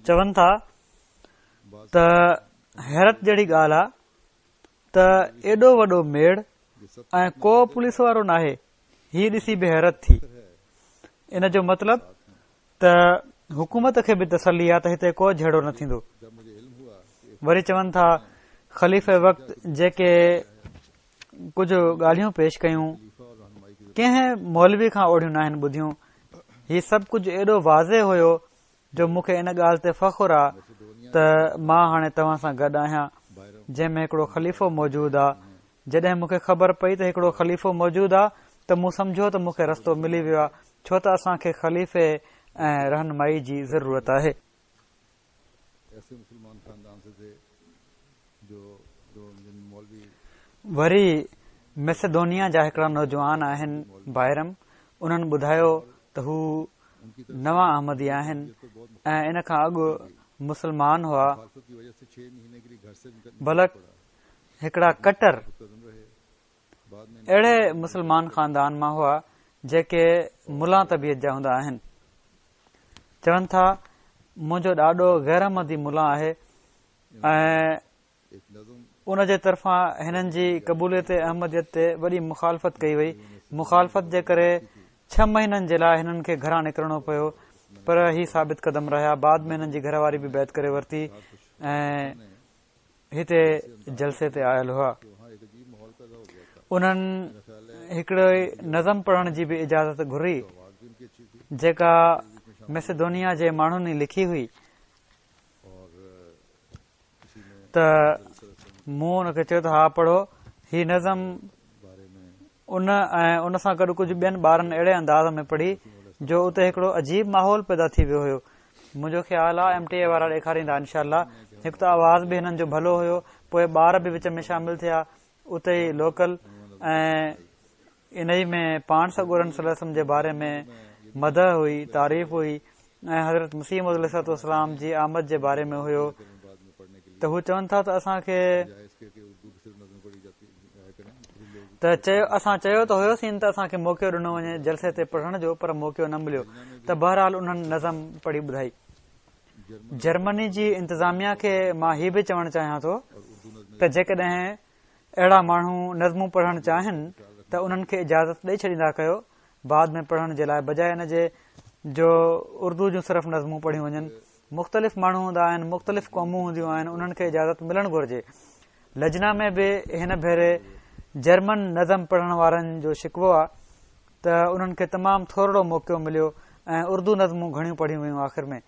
D: چون ٿا ته حيرت جهڙي ڳالهه آهي ته ايڏو وڏو ميڙ ۽ ڪو پوليس وارو ناهي. هي ڏسي به حيرت ٿي. ان جو مطلب ته حڪومت کي به تسلي آهي ته هتي ڪو جهيڙو نه ٿيندو. وري چون ٿا خليفي وقت جيڪي ڪجهه ڳالهيون پيش ڪيون ڪنهن مولوي کان اوڙيون ناهن ٻڌيون. هي سڀ ڪجهه ايڏو واضح هيو جو مون کي ان ڳالهه تي فخر آهي ته مان هاڻي توهان سان گڏ آهيان، جنهن ۾ هڪڙو خليفو موجود آهي. جڏهن مون کي خبر پئي ته هڪڙو خليفو موجود آهي ته مون سمجهيو ته مون کي رستو ملي ويو آهي، ڇو ته اسان کي خليفي ۽ رهنمائي جي ضرورت آهي. وري ميسيڊونيا جا هڪڙا نوجوان آهن بائرم، انهن ٻڌايو ته هو نوان احمدي آهن ۽ ان کان اڳ مسلمان هئا، بلڪ هڪڙا ڪٽر اهڙي مسلمان خاندان مان هئا جيڪي ملا طبيعت جا هوندا آهن. چون ٿا منهنجو ڏاڏو غير احمدي ملا آهي ۽ ان جي طرفان هنن جي قبوليت احمديت تي وڏي مخالفت ڪئي وئي. مخالفت جي ڪري ڇهه مهينن جي لاءِ هنن کي گهران نڪرڻو پيو، پر هي ثابت قدم رهيا. بعد ۾ هنن جي گهر واري به بيعت ڪري ورتي ۽ هتي جلسي تي آيل هئا. انهن هڪڙي نظم پڙهڻ جي به اجازت گهري جيڪا ميسيڊونيا جي ماڻهن ئي لکي هئي. ته مون هن کي چيو ته ها پڙهو. هي نظم ان ۽ ان سان گڏ ڪجهه ٻين ٻارن اهڙي انداز ۾ پڙهي جو اتي هڪڙو عجيب ماحول پيدا ٿي ويو هيو. منهنجو خيال آهي ايم ٽي اي وارا ڏيکاريندا انشاء الله. هڪ ته آواز به هنن جو ڀلو هيو، پوءِ ٻار به وچ ۾ شامل ٿيا اتي ئي لوڪل، ۽ ان ئي ۾ پاڻ سڳورن صلي الله عليه وسلم جي باري ۾ مدح هئي، تعريف هئي ۽ حضرت مسيح موعود عليه الصلوة والسلام جي آمد جي باري ۾ هيو. ته هو چون ٿا ته اسان کي ته چيو اسان چيو ته هيوسين ته اسان کي موقعو ڏنو وڃي جلسي تي پڙهڻ جو، پر موقعو نه مليو. ته بهرحال انهن نظم پڙهي ٻڌائي. جرمني جي انتظاميا کي مان هي به چوڻ چاهيان ٿو ته جيڪڏهن اهڙا ماڻهو نظمون پڙهڻ چاهين ته انهن کي اجازت ڏئي ڇڏيندا ڪيو بعد ۾ پڙهڻ جي لاءِ، بجاءِ ان جي جو اردو جون صرف نظمون پڙهيون وڃن. مختلف ماڻهو هوندا آهن، مختلف قومون هونديون آهن، انهن کي اجازت ملڻ گهرجي. لجنا ۾ به هن ڀيري جرمن نظم پڙهڻ وارن جو شڪوو آهي ته انهن کي تمام ٿورڙو موقعو مليو ۽ اردو نظمون گهڻيون پڙهيون ويون آخر ۾.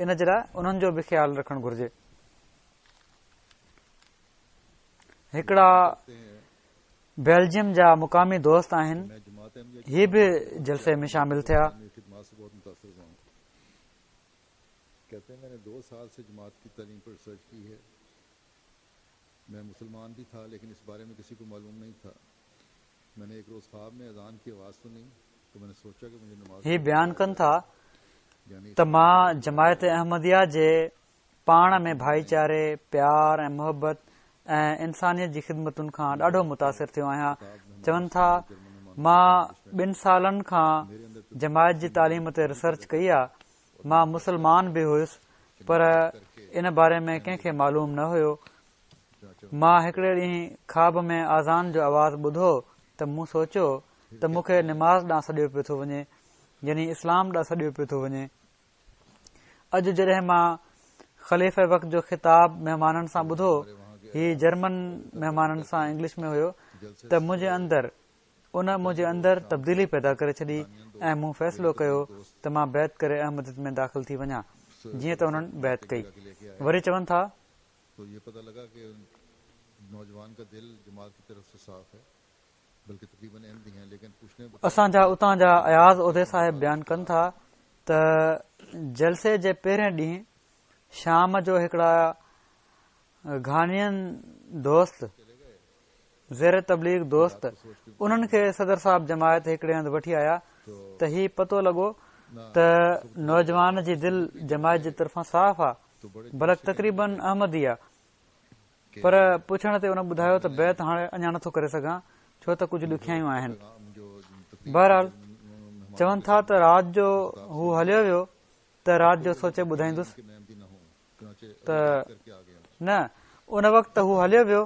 D: ان جي لاءِ انهن جو به خيال رکڻ گهرجي. هڪڙا بيلجيم جا مقامي دوست آهن، هي به جلسي ۾ شامل ٿيا.
C: کہتے ہیں میں نے دو سال سے جماعت کی تعلیم پر ریسرچ کی ہے، میں مسلمان بھی تھا لیکن اس بارے میں کسی کو معلوم نہیں تھا۔ میں نے ایک روز خواب میں اذان کی آواز سنی تو میں نے سوچا کہ مجھے نماز
D: هي بيان ڪن ٿا ته مان جماعت احمديه جي پاڻ ۾ ڀائيچاري، پيار ۽ محبت ۽ انسانيت جي خدمتن کان ڏاڍو متاثر ٿيو آهيان. چون ٿا مان ٻن سالن کان جماعت جي تعليم تي ريسرچ ڪئي آهي. مان مسلمان به هيس پر ان باري ۾ ڪنهن کي معلوم نه هيو. مان هڪڙي ڏينهن خواب ۾ آذان جو آواز ٻڌو ته مون سوچيو ته مون کي نماز ڏانهن سڏيو پيو ٿو وڃي، يعني اسلام ڏانهن سڏيو پيو ٿو وڃي. اڄ جڏهن مان خليفه وقت جو خطاب مهمانن سان ٻڌو، هي جرمن مهمانن سان انگلش ۾ هيو، ته منهنجي اندر ان منهنجي اندر تبديلي پيدا ڪري ڇڏي ۽ مون فيصلو ڪيو ته مان بيعت ڪري احمديت ۾ داخل ٿي وڃان، جيئن ته انهن بيعت ڪئي. وري چون ٿا اسان جا اتان جا اياز عهدي صاحب بيان ڪن ٿا ته جلسي جي پهرين ڏينهن شام جو هڪڙا گهانين دوست، زير تبليغ دوست، انهن کي صدر صاحب جماعت هڪڙي هنڌ وٺي آيا ته هي پتو لڳو ته نوجوان جي دل جماعت جي طرفان صاف آ، بلڪ تقريبن احمدي آ، پر پڇڻ تي ان ٻڌايو ته بيعت هاڻي اڃا نٿو ڪري سگهان ڇو ته ڪجهه ڏکيائيون آهن. بهرحال چون ٿا ته رات جو هو هليو ويو ته رات جو سوچي ٻڌائيندس ته نه ان وقت هو هليو ويو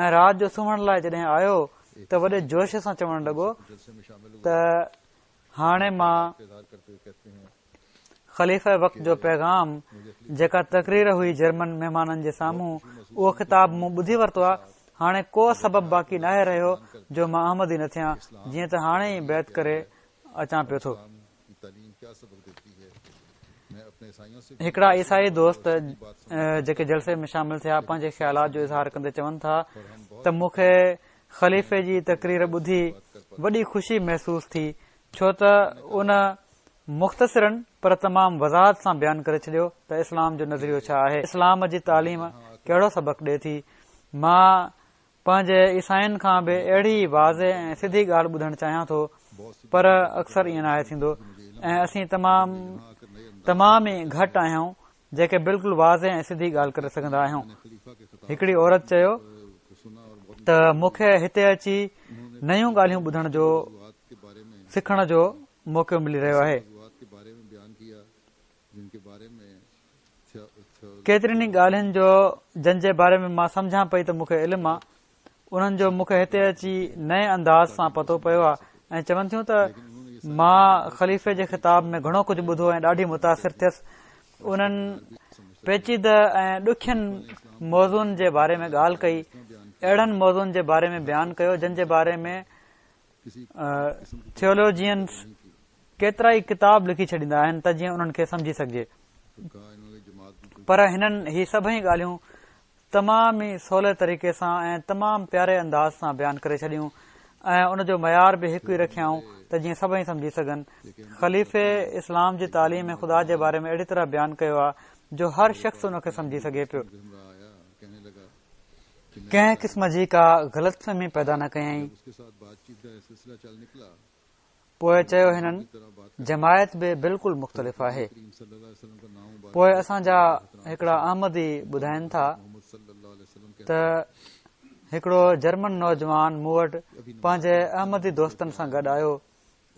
D: ۽ رات جو سمهڻ لاءِ جڏهن آيو ته وڏي جوش سان چوڻ لڳو ته هاڻي مان خليفه وقت جو پيغام جيڪا تقرير هئي جرمن مهمانن جي سامهون اهو خطاب مون ٻڌي ورتو آهي. هاڻي ڪو سبب باقي ناهي رهيو جو مان احمدي نه ٿيان، جيئن ته هاڻي ئي بيعت ڪري اچان پيو ٿو. هڪڙا عيسائي دوست جيڪي جلسي ۾ شامل ٿيا پنهنجي خيالات جو اظهار ڪندي چون ٿا ته مون کي خليفي جي تقرير ٻڌي وڏي خوشي محسوس ٿي، ڇو ته ان مختصراً پر تمام وضاحت سان بيان ڪري ڇڏيو ته اسلام جو نظريو ڇا آهي، اسلام جي تعليم ڪهڙو سبق ڏئي ٿي. مان پنهنجي عيسائين کان به اهڙي واضح ۽ سڌي ڳالهه ٻڌڻ چاهيان ٿو، پر اڪثر ائين ناهي ٿيندو ۽ اسين تمام تمام ئي گهٽ آهيون جيڪي بلڪل واضح ۽ سڌي ڳالهه ڪري سگهندا آهيون. هڪڙي عورت چيو ته مون کي هتي اچي نيون ڳالهيون ٻڌڻ جو سکڻ جو موقعو ملي رهيو آهي. ڪيترين ئي ڳالهين جو جن جي باري ۾ مان سمجهان پئي ته مون کي علم آهي، انهن جو مون کي هتي اچي نئين انداز سان پتو پيو آهي. ۽ چون ٿيون ته مان خليفي جي خطاب ۾ گهڻو ڪجهه ٻڌو ۽ ڏاڍي متاثر ٿيس. انهن پيچيده ۽ ڏکين موضوعن جي باري ۾ ڳالهه ڪئي، اهڙن موضوعن جي باري ۾ بيان ڪيو جن جي باري ۾ ٿيولوجينز ڪيترا ئي ڪتاب لکي ڇڏيندا آهن ته جيئن انهن کي سمجهي سگهجي، پر هنن هي سڀئي ڳالهيون تمام ئي سولي طريقي سان ۽ تمام پياري انداز سان بيان ڪري ڇڏيون ۽ ان جو معيار به هڪ ئي رکيائون ته جيئن سڀئي سمجهي سگهن. خليفي اسلام جي تعليم ۽ خدا جي باري ۾ اهڙي طرح بيان ڪيو آهي جو هر شخص ان کي سمجهي سگهي پيو. ڪنهن قسم جي ڪا غلط فهمي پيدا نه ڪيائين. پوءِ چيو هنن جماعت به بلڪل مختلف آهي. پوءِ اسان جا هڪڙا احمدي ٻڌائين ٿا ته هڪڙو جرمن نوجوان مون وٽ پنهنجي احمدي دوستن سان گڏ آيو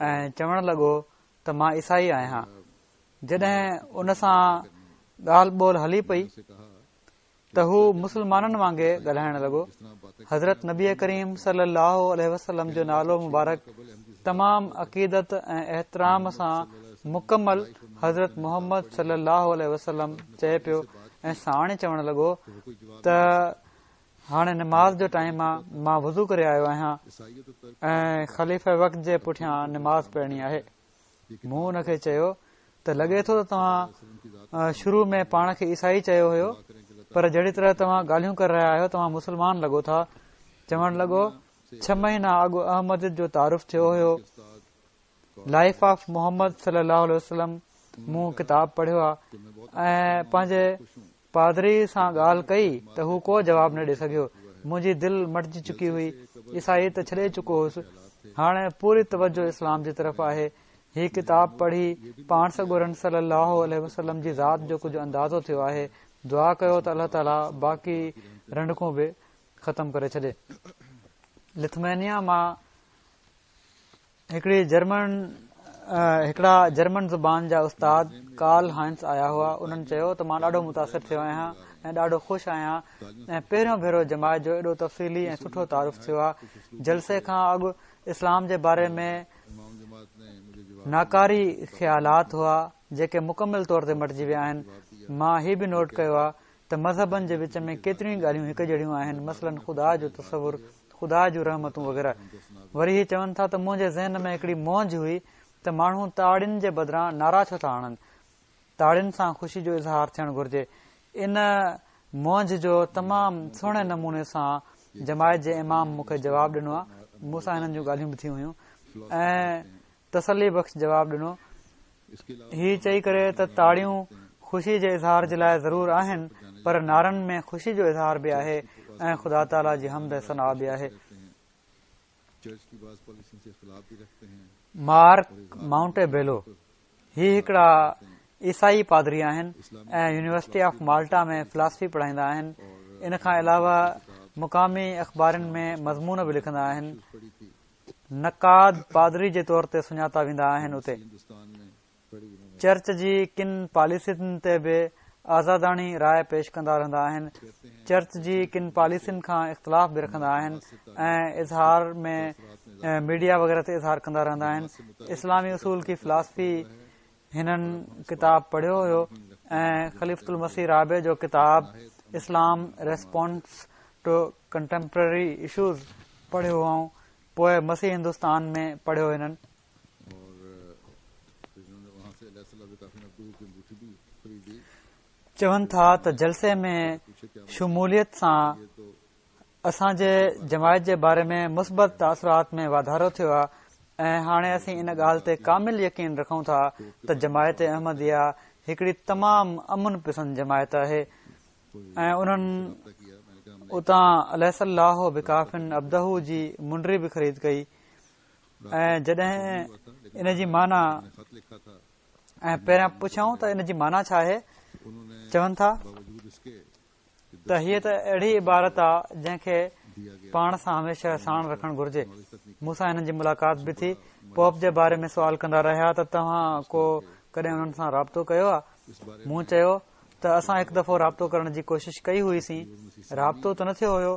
D: ۽ چوڻ لڳو ته مان عيسائي آهيان. جڏهن ان سان ڳالهه ٻولهه هلي پئي ته هو مسلمانن وانگي ڳالهائڻ لڳو. حضرت نبي ڪريم صلي الله عليه وسلم جو نالو مبارڪ تمام عقيدت ۽ احترام سان مڪمل حضرت محمد صلي الله عليه وسلم چئي پيو ۽ ساڻ چوڻ لڳو ته هاڻي نماز جو ٽائيم آ، مان وضو ڪري آيو آهيان ۽ خليفه وقت جي پٺيان نماز پڙهڻي آهي. مون ان کي چيو ته لڳي ٿو ته توهان شروع ۾ پاڻ کي عيسائي چيو هيو، پر جهڙي طرح توهان ڳالهيون ڪري رهيا آهيو توهان مسلمان لڳو ٿا. چوڻ لڳو ڇهه مهينا اڳ احمديت جو تعارف ٿيو هيو. لائف آف محمد صلي الله عليه وسلم مون ڪتاب پڙهيو آهي ۽ پنهنجي پادري سان ڳالهه ڪئي ته هو ڪو جواب نه ڏئي سگهيو. منهنجي دل مٽجي چڪي هئي، عيسائي ته ڇڏي چڪو هوس، هاڻي پوري توجه اسلام جي طرف آهي. هي ڪتاب پڙهي پاڻ سڳورن صلي الله عليه وسلم جي ذات جو ڪجهه اندازو ٿيو آهي. دعا ڪيو ته الله تعاليٰ باقي رنڊڪون به ختم ڪري ڇڏي. لٿوينيا مان هڪڙي جرمن هڪڙا جرمن زبان جا استاد ڪارل هائنس آيا هئا. انهن چيو ته مان ڏاڍو متاثر ٿيو آهيان ۽ ڏاڍو خوش آهيان ۽ پهريون ڀيرو جماعت جو ايڏو تفصيلي ۽ سٺو تعارف ٿيو آهي. جلسي کان اڳ اسلام جي باري ۾ ناڪاري خيالات هئا جيڪي مڪمل طور تي مٽجي ويا آهن. مان هي به نوٽ ڪيو آهي ته مذهبن جي وچ ۾ ڪيتريون ئي ڳالهيون هڪ جهڙيون آهن، مثلاً خدا جو تصور، خدا جون رحمتون وغيره. وري هي چون ٿا ته منهنجي ذهن ۾ هڪڙي مونجهه هئي ته ماڻهو تاڙين جي بدران نعرا ڇو ٿا هڻن، تاڙين سان خوشي جو اظهار ٿيڻ گهرجي. ان مونجهه جو تمام سهڻي نموني سان جماعت جي امام مون کي جواب ڏنو آهي. مون سان هنن جون ڳالهيون به ٿيون هيون ۽ تسلي بخش جواب ڏنو هي چئي ڪري ته تاڙيون خوشي جي اظهار جي لاءِ ضرور آهن، پر نعرن ۾ خوشي جو اظهار به آهي ۽ خدا تعاليٰ جي حمد ۽ ثنا به آهي. مارڪ مائونٽي بيلو هي هڪڙا عيسائي پادري آهن ۽ يونيورسٽي آف مالٽا ۾ فلاسفي پڙهائيندا آهن. ان کان علاوه مقامي اخبارن ۾ مضمون به لکندا آهن. نقاد پادري جي طور تي سڃاتا ويندا آهن. اتي چرچ جي ڪن پاليسين تي به آزاداڻي راءِ پيش ڪندا رهندا آهن. چرچ جي ڪن پاليسين کان اختلاف به رکندا آهن ۽ اظهار ۾ ميڊيا وغيره تي اظهار ڪندا رهندا آهن. اسلامي اصول ڪي فلاسفي هنن ڪتاب پڙهيو هيو ۽ خليفة المسيح رابع جو ڪتاب Islam response to contemporary issues پڙهيو هئائون. پوءِ مسيح هندستان ۾ پڙهيو هنن. چون ٿا ته جلسي ۾ شموليت سان اسان جي جماعت جي باري ۾ مثبت تاثرات ۾ واڌارو ٿيو آهي ۽ هاڻي اسين ان ڳالهه تي ڪامل يقين رکون ٿا ته جماعت احمديه هڪڙي تمام امن پسند جماعت آهي. ۽ انهن اتان اليس الله بڪاف عبده جي منڊي به خريد ڪئي. ۽ جڏهن ان جي معنيٰ ۽ پهريان پڇيائون ته ان جي معنيٰ ڇا آهي، چون ٿا ته هيءَ ته اهڙي عبارت آهي جنهن کي پاڻ سان هميشه ساڻ رکڻ گهرجي. مون سان هنن جي ملاقات به ٿي. پوپ جي باري ۾ سوال ڪندا رهيا ته توهان ڪو ڪڏهن انهن سان رابطو ڪيو آهي؟ مون چيو ته اسان هڪ دفعو رابطو ڪرڻ جي ڪوشش ڪئي هئيسين، رابطو ته نه ٿيو هيو،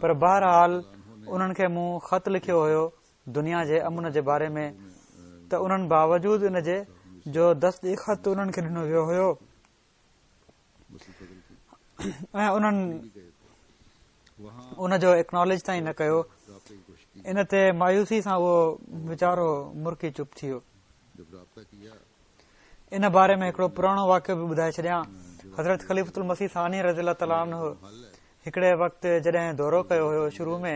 D: پر بهرحال انهن کي مون خط لکيو هيو دنيا جي امن جي باري ۾ ته انهن باوجود ان جي جو دستي خط انهن کي ڏنو ويو هيو ۽ انهن ان جو اڪناليج تائين نه ڪيو. ان تي مايوسي سان اهو ويچارو مرڪي چپ ٿي ويو. ان باري ۾ هڪڙو پراڻو واقعو به ٻڌائي ڇڏيان. حضرت خليفة المسيح ثاني رضي الله تعاليٰ عنه هڪڙي وقت جڏهن دورو ڪيو هيو، شروع ۾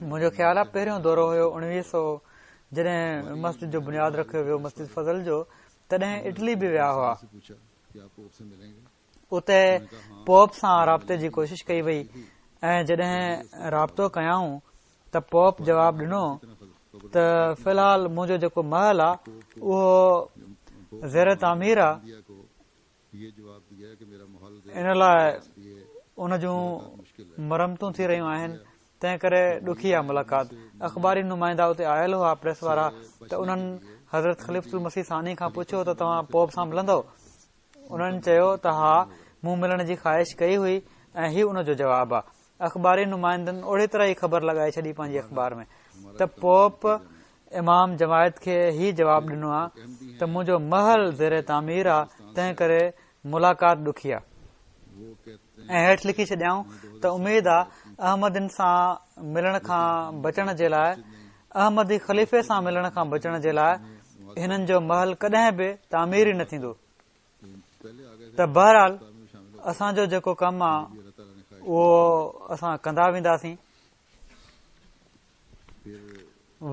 D: منهنجو خيال آهي پهريون دورو هيو اڻويهه سؤ جڏهن مسجد جو بنياد رکيو ويو مسجد فضل جو، تڏهن اٽلي به ويا هئا. اتي پوپ سان رابطي جي ڪوشش ڪئي وئي ۽ جڏهن رابطو ڪيائون ته پوپ جواب ڏنو ته في الحال منهنجو جيڪو محل آهي اهو زير تعمير آهي، ان لاءِ ان جون مرمتون ٿي رهيون آهن، تنهن ڪري ڏکي آهي ملاقات. اخباري نمائندا اتي آيل هئا پريس وارا، ته انهن حضرت خليفة المسيح ثاني کان پڇيو ته توهان پوپ سان ملندؤ؟ انهن چيو ته ها، مون ملڻ جي خواهش ڪئي هئي ۽ هي ان جو جواب آهي. اخباري نمائندن اوڙي طرح ئي خبر لڳائي ڇڏي پنهنجي اخبار ۾ ته پوپ امام جماعت کي هي جواب ڏنو آهي ته منهنجو محل زير تعمير آهي، تنهن ڪري ملاقات ڏکي آهي. ۽ هيٺ لکي ڇڏيائون ته اميد آهي احمدين سان ملڻ کان بچڻ جي لاءِ، احمدي خليفي سان ملڻ کان بچڻ جي لاءِ هنن جو محل ڪڏهن به تعمير ئي نه ٿيندو. ته بهرحال اسان جو جيڪو ڪم آهي اهو اسان ڪندا وينداسين.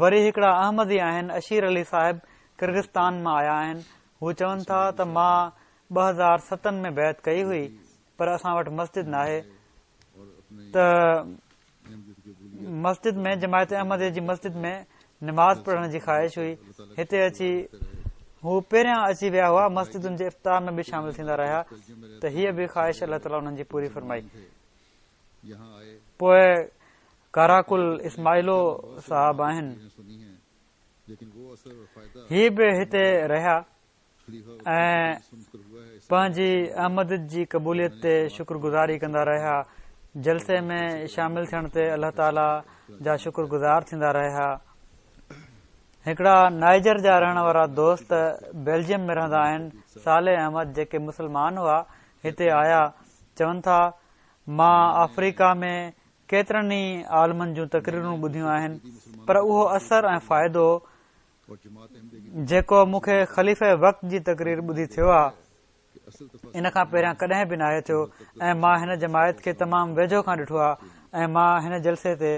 D: وري هڪڙا احمدي آهن، اشير علي صاحب ڪرغستان مان آيا آهن. هو چون ٿا ته مان ٻه هزار ستن ۾ بيعت ڪئي هئي، پر اسان وٽ مسجد ناهي. ته مسجد ۾ جماعت احمديه جي مسجد ۾ نماز پڙهڻ جي خواهش هئي. هتي اچي هو پهريان اچي ويا هئا، مسجدن جي افتتاح ۾ به شامل ٿيندا رهيا. ته هيءَ به خواهش الله تعاليٰ انهن جي پوري فرمائي. پوءِ ڪاراڪل اسماعيلو صاحب آهن، هي به هتي رهيا ۽ پنهنجي احمديت جي قبوليت تي شڪر گذاري ڪندا رهيا. جلسي ۾ شامل ٿيڻ تي الله تعاليٰ جا شڪر گذار ٿيندا رهيا. هڪڙا نائجر جا رهڻ وارا دوست بيلجيم ۾ رهندا آهن، صالح احمد، جيڪي مسلمان هئا، هتي آيا. چون ٿا مان آفريڪا ۾ ڪيترن ئي عالمن جون تقريرون ٻڌيون آهن، پر اهو اثر ۽ فائدو جيڪو مون کي خليفي وقت جي تقرير ٻڌي ٿيو آهي، ان کان پهريان ڪڏهن به ناهي ٿيو. ۽ مان هن جماعت کي تمام ويجهو کان ڏٺو آهي ۽ مان هن جلسي تي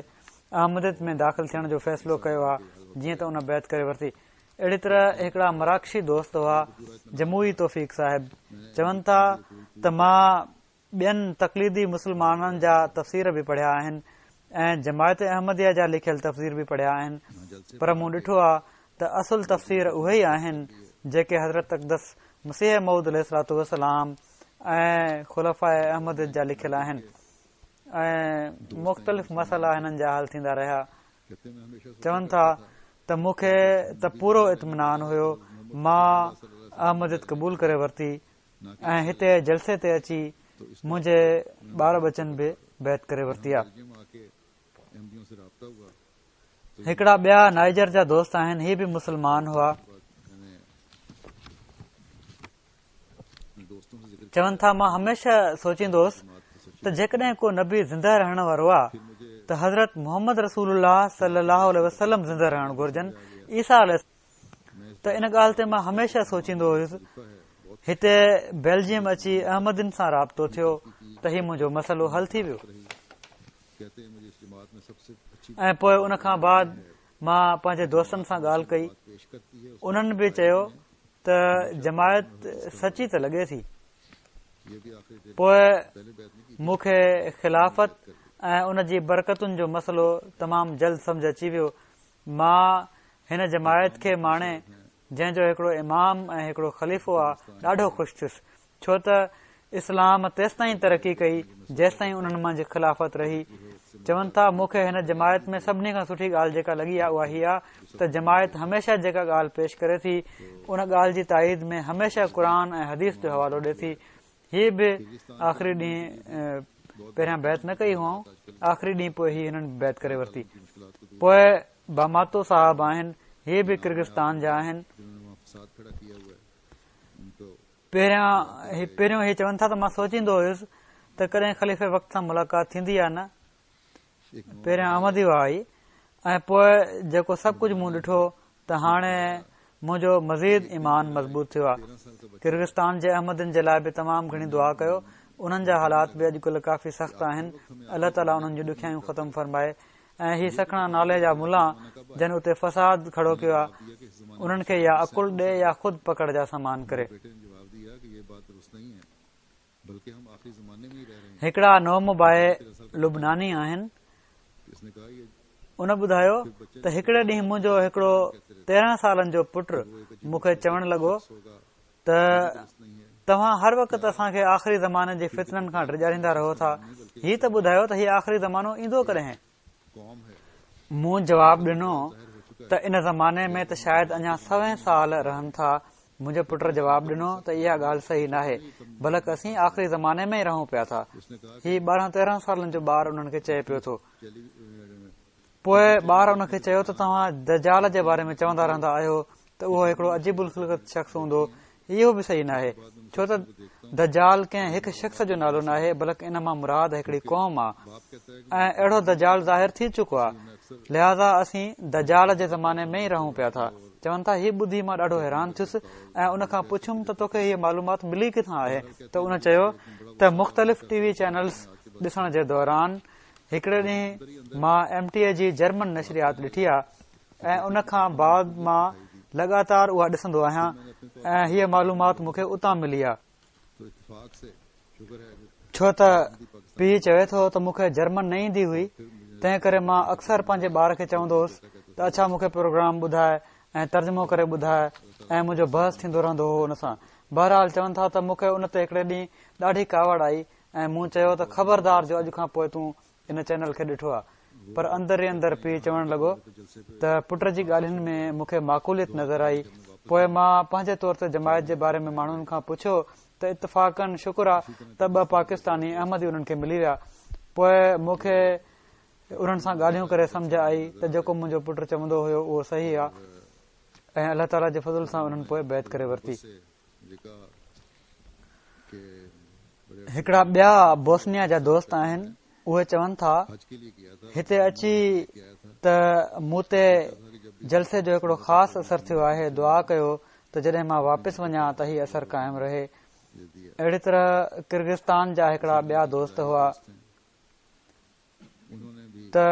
D: احمديت ۾ داخل ٿيڻ جو فيصلو ڪيو آهي، جيئن ته ان بيعت ڪري ورتي. اهڙي طرح هڪڙا مراڪشي دوست هئا، جموئي توفيق صاحب، چون ٿا ته مان ٻين تقليدي مسلمانن جا تفسير به پڙهيا آهن ۽ جماعت احمديه جا لکيل تفسير به پڙهيا آهن، پر مون ڏٺو آهي ته اصل تفسير اهي ئي آهن جيڪي حضرت اقدس مسيح موعود عليه الصلوة والسلام ۽ خلفاء احمديت جا لکيل آهن ۽ مختلف مسئلا هنن جا حل ٿيندا رهيا. چون ٿا ته مون کي ته پورو اطمينان هيو، مان احمديت قبول ڪري ورتي ۽ هتي جلسي تي اچي منهنجي ٻار ٻچن به بيعت ڪري ورتي آ. هڪڙا ٻيا نائجر جا دوست آهن، هي به مسلمان هئا. چون ٿا مان هميشه سوچيندو هوس ته جيڪڏهن ڪو نبي زنده رهڻ وارو آ ته حضرت محمد رسول الله صلي الله عليه وسلم زنده رهڻ گهرجن، عيسيٰ عليه ته ان ڳالهه تي مان هميشه سوچيندو هيس. هتي بيلجيم اچي احمدين سان رابطو ٿيو ته هي منهنجو مسئلو حل ٿي ويو ۽ پوء ان کان بعد مان پنهنجي دوستن سان ڳالهه ڪئي، انهن به چيو ته جماعت سچي ته لڳي ٿي. پوء مون کي خلافت ۽ ان جي برڪتن جو مسئلو تمام جلد سمجهه اچي ويو. مان هن جماعت کي ماڻي، جنهن جو هڪڙو امام ۽ هڪڙو خليفو آ، ڏاڍو خوش ٿيس، ڇو ته اسلام تيستائين ترقي ڪئي جيستائين انهن منجهه خلافت رهي. چون ٿا مون کي هن جماعت ۾ سڀني کان سٺي ڳالهه جيڪا لڳي آ اها هي آ ته جماعت هميشه جيڪا ڳالهه پيش ڪري ٿي ان ڳالهه جي تائيد ۾ هميشه قرآن ۽ حديث جو حوالو ڏي ٿي. هي به آخري ڏينهن پهريان بيعت نه ڪئي هئائون، آخري ڏينهن پوء هي هنن بيعت ڪري ورتي. پوء باماتو صاحب آهن، هي به ڪرغستان جا آهن. پهريان پهريون هي چون ٿا ته مان سوچيندو هيس ته ڪڏهن خليفي وقت سان ملاقات ٿيندي يا نه. پهريان احمدي هئا هي ۽ پوء جيڪو سڀ ڪجهه مون ڏٺو ته هاڻي منهنجو مزيد ايمان مضبوط ٿيو آهي. ڪرغستان جي احمدين جي لاء به تمام گهڻي دعا ڪيو. انهن جا حالات به اڄڪلهه ڪافي سخت آهن. الله تعاليٰ انهن جون ڏکيائيون ختم فرمائي ۽ هي سکڻا نالي جا ملا جن اتي فساد کڙو ڪيو آهي انهن کي يا عقل ڏي يا خود پڪڙ جا سامان ڪري. هڪڙا نومبائع لبناني آهن، ان ٻڌايو ته هڪڙي ڏينهن منهنجو هڪڙو تيرهن سالن جو پٽ مون کي چوڻ لڳو ته توهان هر وقت اسان کي آخري زماني جي فتنن کان ڊيڄاريندا رهو ٿا، هي ته ٻڌايو ته هي آخري زمانو ايندو ڪڏهن؟ مون جواب ڏنو ته ان زماني ۾ ته شايد اڃا سوين سال رهن ٿا. منهنجي پٽ جواب ڏنو ته اها ڳالهه صحيح ناهي، بلڪ اسين آخري زماني ۾ ئي رهون پيا ٿا. هي ٻارهن تيرهن سالن جو ٻار انهن کي چئي پيو ٿو. پوء ٻار ان کي چيو ته توهان دجال جي باري ۾ چوندا رهندا آهيو ته اهو هڪڙو عجيب الخلقت شخص هوندو. اهو به صحيح ناهي، ڇو ته دجال ڪنهن هڪ شخص جو نالو ناهي، بلڪ ان مان مراد هڪڙي قوم آ ۽ اهڙو دجال ظاهر ٿي چڪو آ، لهذا اسين دجال جي زماني ۾ ئي رهون پيا ٿا. چون ٿا هي ٻڌي مان ڏاڍو حيران ٿيس ۽ ان کان پڇيم ته توکي هيء معلومات ملي ڪٿان آهي؟ ته ان چيو ته مختلف ٽي وي چينلز ڏسڻ جي دوران هڪڙي ڏينهن مان ايم ٽي اي جي جرمن نشريات ڏٺي آ ۽ ان کان بعد مان لڳاتار اها ڏسندو آهيان ۽ هيء معلومات مون کي اتان ملي آ. ڇو ته پيء چوي ٿو ته مون کي جرمن نه ايندي هئي، تنهن ڪري مان اڪثر پنهنجي ٻار کي چوندو هوس ته اڇا مون کي پروگرام ٻڌاء ۽ ترجمو ڪري ٻڌاء ۽ منهنجو بحث ٿيندو رهندو هو ان سان. بهرحال چون ٿا ته مون کي ان تي هڪڙي ڏينهن ڏاڍي ڪاوڙ آئي ۽ مون چيو ته خبردار جو اڄ کان پوء تون ان چينل کي ڏٺو آ. پر اندر ئي اندر پيء چوڻ لڳو ته پٽ جي ڳالهين ۾ مون کي معقوليت نظر آئي. پوء مان پنهنجي طور تي جماعت جي باري ۾ ماڻهن کان پڇيو ته اتفاقاً شڪر آ ته ٻه پاڪستاني احمدي انهن کي ملي ويا. پوء مون کي انهن سان ڳالهيون ڪري سمجهه آئي ته جيڪو منهنجو پٽ چوندو هيو اهو صحيح آ ۽ الله تعاليٰ جي فضل سان انهن پوء بيعت ڪري ورتي. هڪڙا ٻيا بوسنيا جا دوست آهن، اهي چون ٿا هتي اچي ته مون تي جلسي جو هڪڙو خاص اثر ٿيو آهي، دعا ڪيو ته جڏهن مان واپس وڃان ته هي اثر قائم رهي. اهڙي طرح ڪرغستان جا هڪڙا ٻيا دوست هئا ته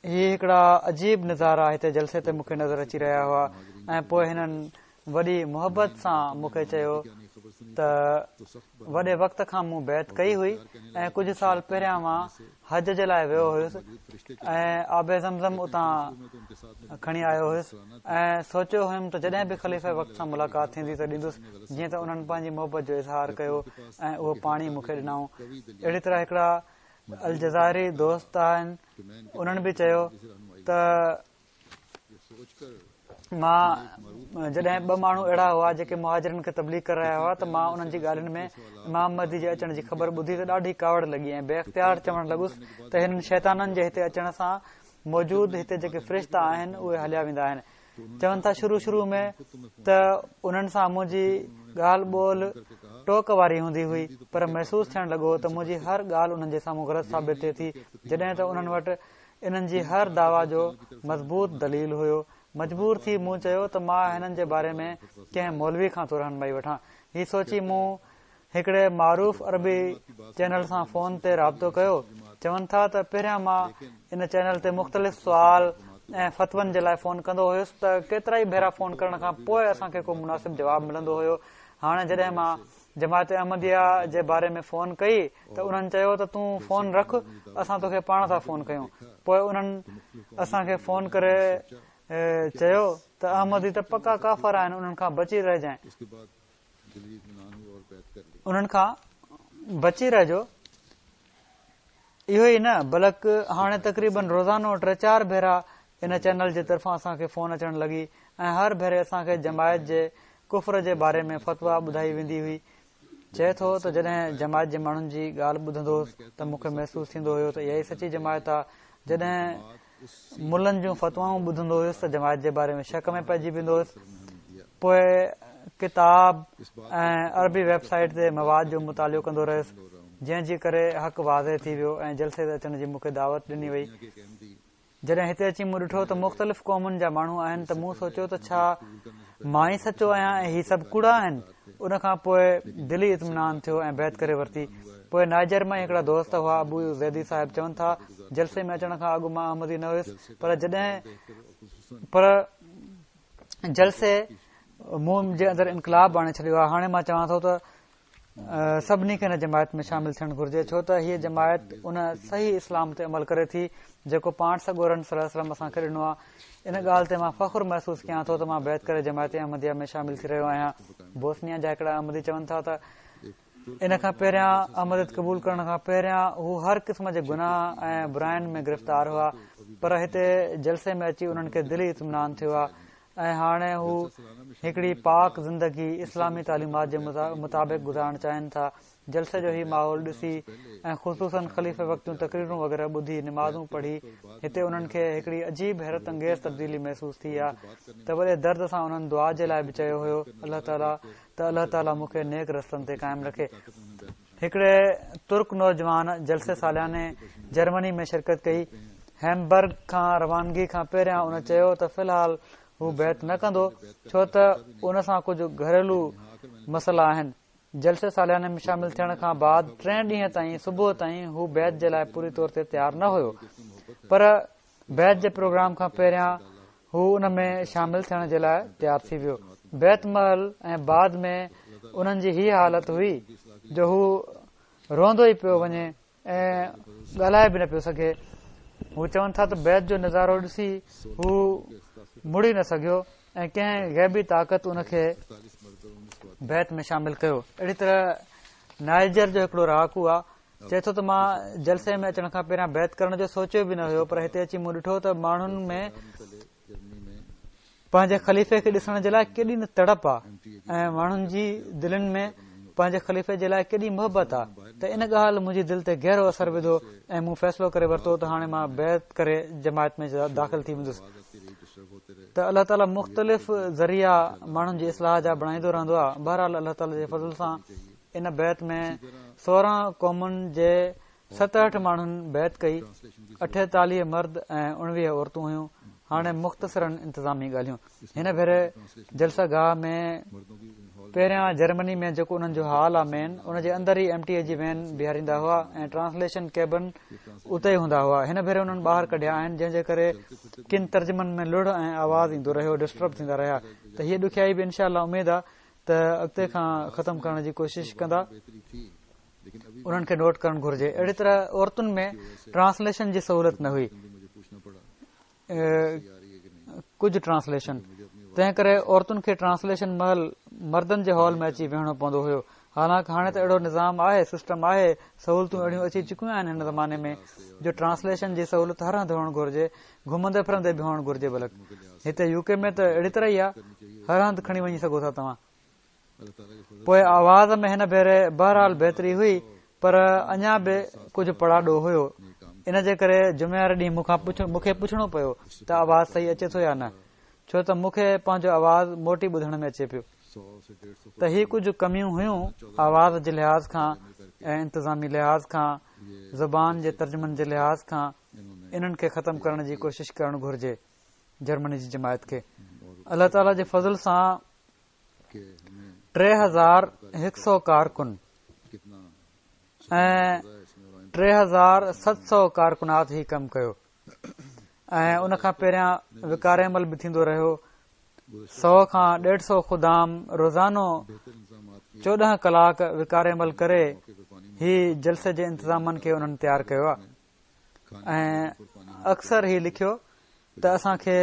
D: هي هڪڙا عجيب نظارا هتي جلسي تي مون کي نظر اچي رهيا هئا ۽ پوء هنن وڏي محبت سان مون کي چيو ته وڏي وقت کان مون بيعت ڪئي هئي ۽ ڪجهه سال پهريان مان حج جي لاءِ ويو هيس ۽ آب زمزم اتان کڻي آيو هيس ۽ سوچيو هيم ته جڏهن به خليفه وقت سان ملاقات ٿيندي ته ڏيندس، جيئن ته انهن پنهنجي محبت جو اظهار ڪيو ۽ اهو پاڻي مون کي ڏنائون. اهڙي طرح هڪڙا الجزائري دوست آهن، انهن به چيو ته مان جڏهن ٻه ماڻهو اهڙا هئا جيڪي مهاجرن کي تبليغ ڪري رهيا هئا ته مان انهن جي ڳالهين ۾ امام مهدي جي اچڻ جي خبر ٻڌي ته ڏاڍي ڪاوڙ لڳي ۽ بي اختيار چوڻ لڳس ته هنن شيطانن جي هتي اچڻ سان موجود هتي جيڪي فرشتا آهن اهي هليا ويندا آهن. چون ٿا شروع شروع ۾ ته انهن سان منهنجي ڳالهه ٻولهه ٽوڪ واري هوندي هئي، پر محسوس ٿيڻ لڳو ته منهنجي هر ڳالهه انهن جي سامهون غلط ثابت ٿئي ٿي، جڏهن ته انهن وٽ انهن جي هر دعويٰ جو مضبوط دليل هيو. مجبور ٿي مون چيو ته مان هنن جي باري ۾ ڪنهن مولوي کان ٿو رهنمائي وٺان. هي سوچي مون هڪڙي معروف عربي چينل سان فون تي رابطو ڪيو. چون ٿا ته پهريان مان ان چينل تي مختلف سوال ۽ فتون جي لاءِ فون ڪندو هيس ته ڪيترا ئي ڀيرا فون ڪرڻ کان پوءِ اسان کي ڪو مناسب جواب ملندو هيو. هاڻي جڏهن مان جماعت احمديه جي باري ۾ فون ڪئي ته انهن چيو ته تون فون رک، اسان توکي پاڻ ٿا فون ڪيون. پوءِ انهن اسان کي فون ڪري چيو ته احمدي ته پڪا ڪافر آهن، انهن کان بچي رهجانءِ، انهن کان بچي رهجو. اهو ئي نه بلڪ هاڻي تقريبن روزانو ٽي چار ڀيرا ان چينل جي طرفان اسان کي فون اچڻ لڳي ۽ هر ڀيري اسان کي جماعت جي ڪفر جي باري ۾ فتويٰ ٻڌائي ويندي هئي. چئي ٿو ته جڏهن جماعت جي ماڻهن جي ڳالهه ٻڌندو هوس ته مون کي محسوس ٿيندو هيو ته اها ئي سچي جماعت آهي. جڏهن ملن جون فتوائون ٻڌندو هيس ته جماعت جي باري ۾ شڪ ۾ پئجي ويندو هيس. پوءِ ڪتاب ۽ عربي ويب سائيٽ تي مواد جو مطالعو ڪندو رهيس، جنهن جي ڪري حق واضح ٿي ويو ۽ جلسي تي اچڻ جي مون کي دعوت ڏني وئي. جڏهن هتي اچي مون ڏٺو ته مختلف قومن جا ماڻهو آهن ته مون سوچيو ته ڇا مان ئي سچو آهيان ۽ هي سڀ ڪوڙا آهن. ان کان پوءِ دلي اطمينان ٿيو ۽ بيعت ڪري ورتي. پوءِ نائجر مان هڪڙا دوست هئا، ابو زيدي صاحب، چون ٿا جلسي ۾ اچڻ کان اڳ مان احمدي نه هيس، پر جڏهن پر جلسي مون جي اندر انقلاب آڻي ڇڏيو آهي. هاڻي مان چوان ٿو ته سڀني کي هن جماعت ۾ شامل ٿيڻ گهرجي، ڇو ته هيءَ جماعت ان صحيح اسلام تي عمل ڪري ٿي جيڪو پاڻ سڳورن صلي الله عليه وسلم اسان کي ڏنو آهي. ان ڳالهه تي مان فخر محسوس ڪيان ٿو ته مان بيعت ڪري جماعت احمديه ۾ شامل ٿي رهيو آهيان. بوسنيا جا هڪڙا احمدي چون ٿا ته ان کان پهريان احمديت قبول ڪرڻ کان پهريان هو هر قسم جي گناهه ۽ براين ۾ گرفتار هئا، پر هتي جلسي ۾ اچي انهن کي دلي اطمينان ٿيو آهي ۽ هاڻي هو هڪڙي پاڪ زندگي اسلامي تعليمات جي مطابق گذارڻ چاهين ٿا. جلسي جو هي ماحول ڏسي ۽ خصوصن خليفي وقت جون تقريرون وغيره ٻڌي نمازون پڙهي هتي انهن کي هڪڙي عجيب حيرت انگيز تبديلي محسوس ٿي آهي ته وڏي درد سان انهن دعا جي لاءِ به چيو هيو الله تعاليٰ ته الله تعاليٰ مون کي نيڪ رستن تي قائم رکي. هڪڙي ترڪ نوجوان جلسي سالياني جرمني ۾ شرڪت ڪئي. هيمبرگ کان روانگي کان پهريان ان چيو ته في الحال هو بيعت نه ڪندو، ڇو ته ان سان ڪجهه گهريلو مسئلا آهن. جلسي سالياني ۾ شامل ٿيڻ کان بعد ٽي ڏينهن تائين صبح تائين هو بيعت جي لاءِ پوري طور تي تيار نه هيو، پر بيعت جي پروگرام کان پهريان هو ان ۾ شامل ٿيڻ جي لاءِ تيار ٿي ويو. بيعت مهل ۽ بعد ۾ انهن جي هيءَ حالت هئي جو هو روئندو ئي پيو وڃي ۽ ڳالهائي به نه پيو سگهي. هو چون ٿا ته بيعت جو نظارو ڏسي هو مڙي نه سگهيو ۽ ڪنهن غيبي طاقت ان کي بيعت ۾ شامل ڪيو. اهڙي طرح نائجر جو هڪڙو رهاڪو آهي، چئي ٿو ته مان جلسي ۾ اچڻ کان پهريان بيعت ڪرڻ جو سوچيو به نه هيو، پر هتي اچي مون ڏٺو ته ماڻهن ۾ پنهنجي خليفي کي ڏسڻ جي لاءِ ڪيڏي نه تڙپ آهي ۽ ماڻهن جي دلين ۾ پنهنجي خليفي جي لاءِ ڪيڏي محبت آهي. ته ان ڳالهه منهنجي دل تي گهرو اثر وڌو ۽ مون فيصلو ڪري ورتو ته هاڻي مان بيعت ڪري جماعت ۾ داخل ٿي ويندس. ته الله تعاليٰ مختلف ذريعا ماڻهن جي اصلاح جا بڻائيندو رهندو آهي. بهرحال الله تعاليٰ جي فضل سان ان بيعت ۾ سورهن قومن جي ستهٺ ماڻهن بيعت ڪئي، اٺيتاليهه مرد ۽ اڻويهه عورتون هيون. هاڻي مختصراً انتظامي ڳالهيون. هن ڀيري جلسه گاهه ۾ پهريان جرمني ۾ جيڪو انهن جو هال آهي مين، ان جي اندر ئي ايم ٽي اي جي وين بيهاريندا هئا ۽ ٽرانسليشن ڪيبن اتي ئي هوندا هئا. هن ڀيري انهن ٻاهر ڪڍيا آهن، جنهن جي ڪري ڪن ترجمن ۾ لڙ ۽ آواز ايندو رهيو، ڊسٽرب ٿيندا رهيا. ته هيءَ ڏکيائي به انشاء الله اميد آهي ته اڳتي کان ختم ڪرڻ جي ڪوشش ڪندا، انهن کي نوٽ ڪرڻ گهرجي. اهڙي طرح عورتن ۾ ٽرانسليشن جي سهولت نه هئي، ڪجهه ٽرانسليشن، تنهن ڪري عورتن کي ٽرانسليشن مهل مردن جي هال ۾ اچي ويهڻو پوندو هيو. حالانڪه هاڻي ته اهڙو نظام آهي، سسٽم آهي، سهولتون اهڙيون اچي چڪيون آهن هن زماني ۾ جو ٽرانسليشن جي سهولت هر هنڌ هئڻ گهرجي، گهمندي ڦرندي به هئڻ گهرجي. بلڪ هتي يو ڪي ۾ ته اهڙي طرح ئي آهي، هر هنڌ کڻي وڃي سگهو ٿا توهان. پوءِ آواز ۾ هن ڀيري بهرحال بهتري هئي، پر اڃا به ڪجهه پڙاڏو هيو. ان جي ڪري جمعي واري ڏينهن مون کان مون کي پڇڻو پيو ته آواز صحيح اچي ٿو يا نه، ڇو ته مون کي پنهنجو آواز موٽي ٻڌڻ ۾ اچي پيو. ته هي ڪجهه ڪميون هيون آواز جي لحاظ کان ۽ انتظامي لحاظ کان، زبان جي ترجمن جي لحاظ کان، انهن کي ختم ڪرڻ جي ڪوشش ڪرڻ گهرجي جرمني جي جماعت کي. الله تعاليٰ جي فضل سان ٽي هزار هڪ سؤ ڪارڪن ۽ ٽي هزار ست سؤ ڪارڪنات هي ڪم ڪيو ۽ ان کان پهريان وقار عمل به ٿيندو رهيو. سؤ کان ڏيڍ سؤ خدام روزانو چوڏهن ڪلاڪ وقار عمل ڪري هي جلسي جي انتظامن کي انهن تيار ڪيو آهي. ۽ اڪثر هي لکيو ته اسان کي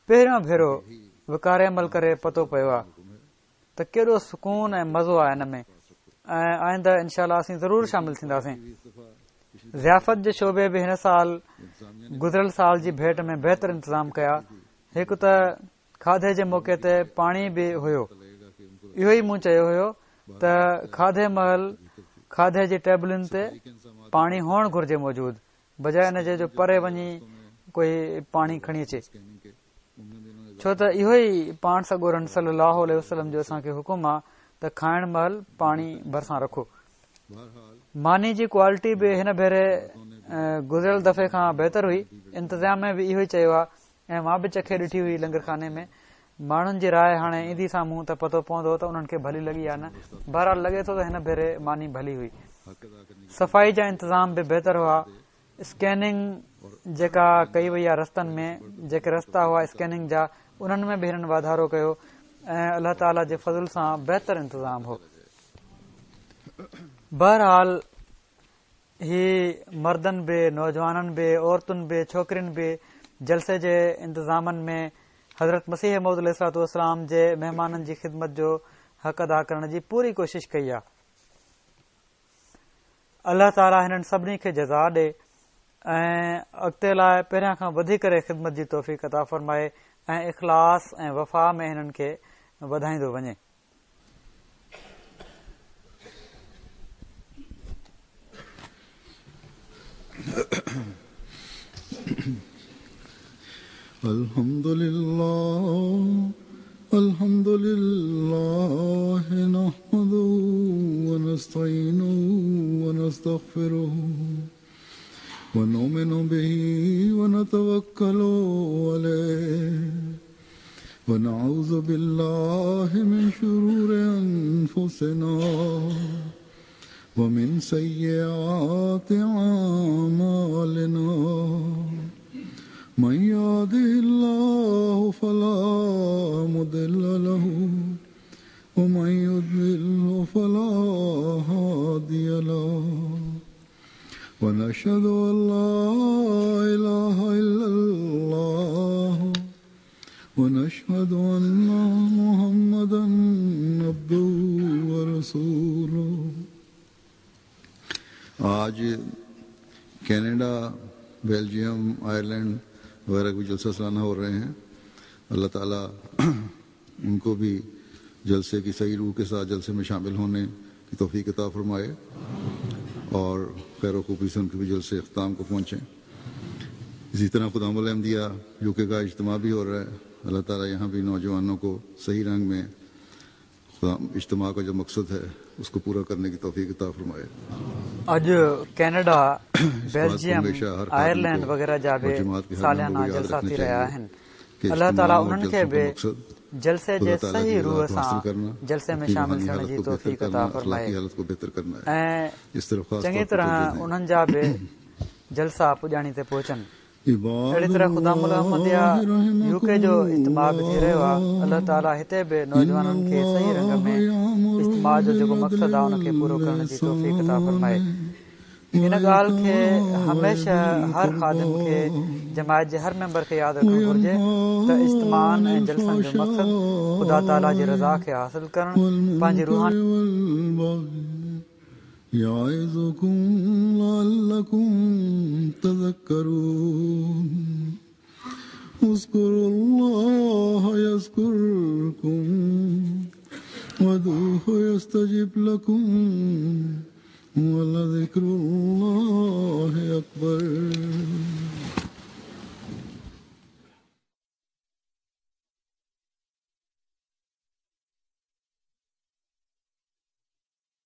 D: پهريون ڀيرو وقار عمل ڪري پتو پيو آهي ته ڪيڏو سڪون ۽ مزو آهي هن ۾، ۽ آئنده انشاء الله اسين ضرور شامل ٿينداسين. ضيافت جي شعبي به هن سال گذريل سال جي ڀيٽ ۾ بهتر انتظام ڪيا. هڪ ته کاڌي جي موقعي تي پاڻي به هيو. اهو ئي مون چيو هيو ته کاڌي مهل کاڌي جي ٽيبلن تي پاڻي هئڻ گهرجي موجود، بجاءِ ان جي جو پري وڃي ڪوئي پاڻي کڻي اچي، ڇو ته اهو ئي پاڻ سڳورن صلي الله عليه وسلم جو اسان کي حڪم آهي ته کائڻ مهل پاڻي ڀرسان رکو. ماني جي ڪوالٽي به هن ڀيري گذريل دفعي کان بهتر هئي. انتظام ۾ به اهو ئي چيو آهي ۽ مان به چکي ڏٺي هئي لنگر خاني ۾. ماڻهن جي راءِ هاڻي ايندي سامهون ته پتو پوندو ته انهن کي ڀلي لڳي يا نه. بهرحال لڳي ٿو ته هن ڀيري ماني ڀلي هئي. صفائي جا انتظام به بهتر هئا. اسڪيننگ جيڪا ڪئي وئي آهي رستن ۾، جيڪي رستا هئا اسڪيننگ جا، انهن ۾ به هنن واڌارو ڪيو ۽ الله تعاليٰ جي فضل سان بهتر انتظام هو. بهرحال هي مردن به، نوجوانن به، عورتن به، ڇوڪرين به جلسي جي انتظامن ۾ حضرت مسيح موعود عليه الصلوة والسلام جي مهمانن جي خدمت جو حق ادا ڪرڻ جي پوري ڪوشش ڪئي آهي. الله تعاليٰ هنن سڀني کي جزا ڏي ۽ اڳتي لاءِ پهريان کان وڌي ڪري خدمت جي توفيق عطا فرمائي ۽ اخلاص ۽ وفا ۾ هنن کي وڌائيندو وڃي.
B: الحمد لله الحمد لله نحمده ونستعينه ونستغفره ونؤمن به ونتوكل عليه ونعوذ بالله من شرور أنفسنا ومن سيئات أعمالنا من يهده الله فلا مضل له ومن يضلل فلا هادي له ونشهد أن لا إله إلا الله ونشهد أن محمدا عبده ورسوله.
C: آج کینیڈا، بیلجیم، آئرلینڈ وغیرہ کے جلسہ سالانہ ہو رہے ہیں. اللہ تعالیٰ ان کو بھی جلسے کی صحیح روح کے ساتھ جلسے میں شامل ہونے کی توفیق عطا فرمائے اور خیر و خوبی سے ان کے بھی جلسے اختتام کو پہنچیں. اسی طرح خدام الاحمدیہ you کے کا اجتماع بھی ہو رہا ہے. اللہ تعالیٰ یہاں بھی نوجوانوں کو صحیح رنگ میں اجتماع کا جو مقصد ہے اس کو پورا کرنے کی توفیق عطا فرمائے.
D: اڄ ڪينيڊا، بيلجيم، آئرلينڊ وغيره جا به ساليانا جلسا ٿي رهيا آهن. الله تعاليٰ انهن کي به جلسي جي صحيح روح سان جلسي ۾ شامل ٿيڻ جي توفيق عطا فرمائي ۽ چڱي طرح انهن جا به جلسا پڄاڻي تي پهچن. اهڙي طرح خدام الاحمديه يو ڪي جو اجتماع به ٿي رهيو آهي. الله تعاليٰ هتي به نوجوانن کي صحيح رنگ ۾ اجتماع جو جيڪو مقصد آهي ان کي پورو ڪرڻ جي توفيق عطا فرمائي. ان ڳالهه کي هميشه هر خادم کي، جماعت جي هر ميمبر کي ياد رکڻ گهرجي ته اجتماعن ۽ جلسن جو مقصد خدا تعاليٰ جي رضا کي حاصل ڪرڻ، پنهنجي روحاني
B: يعظكم لعلكم تذكرون. اذكروا الله يذكركم وادعوه يستجب لكم ولذكر الله أكبر.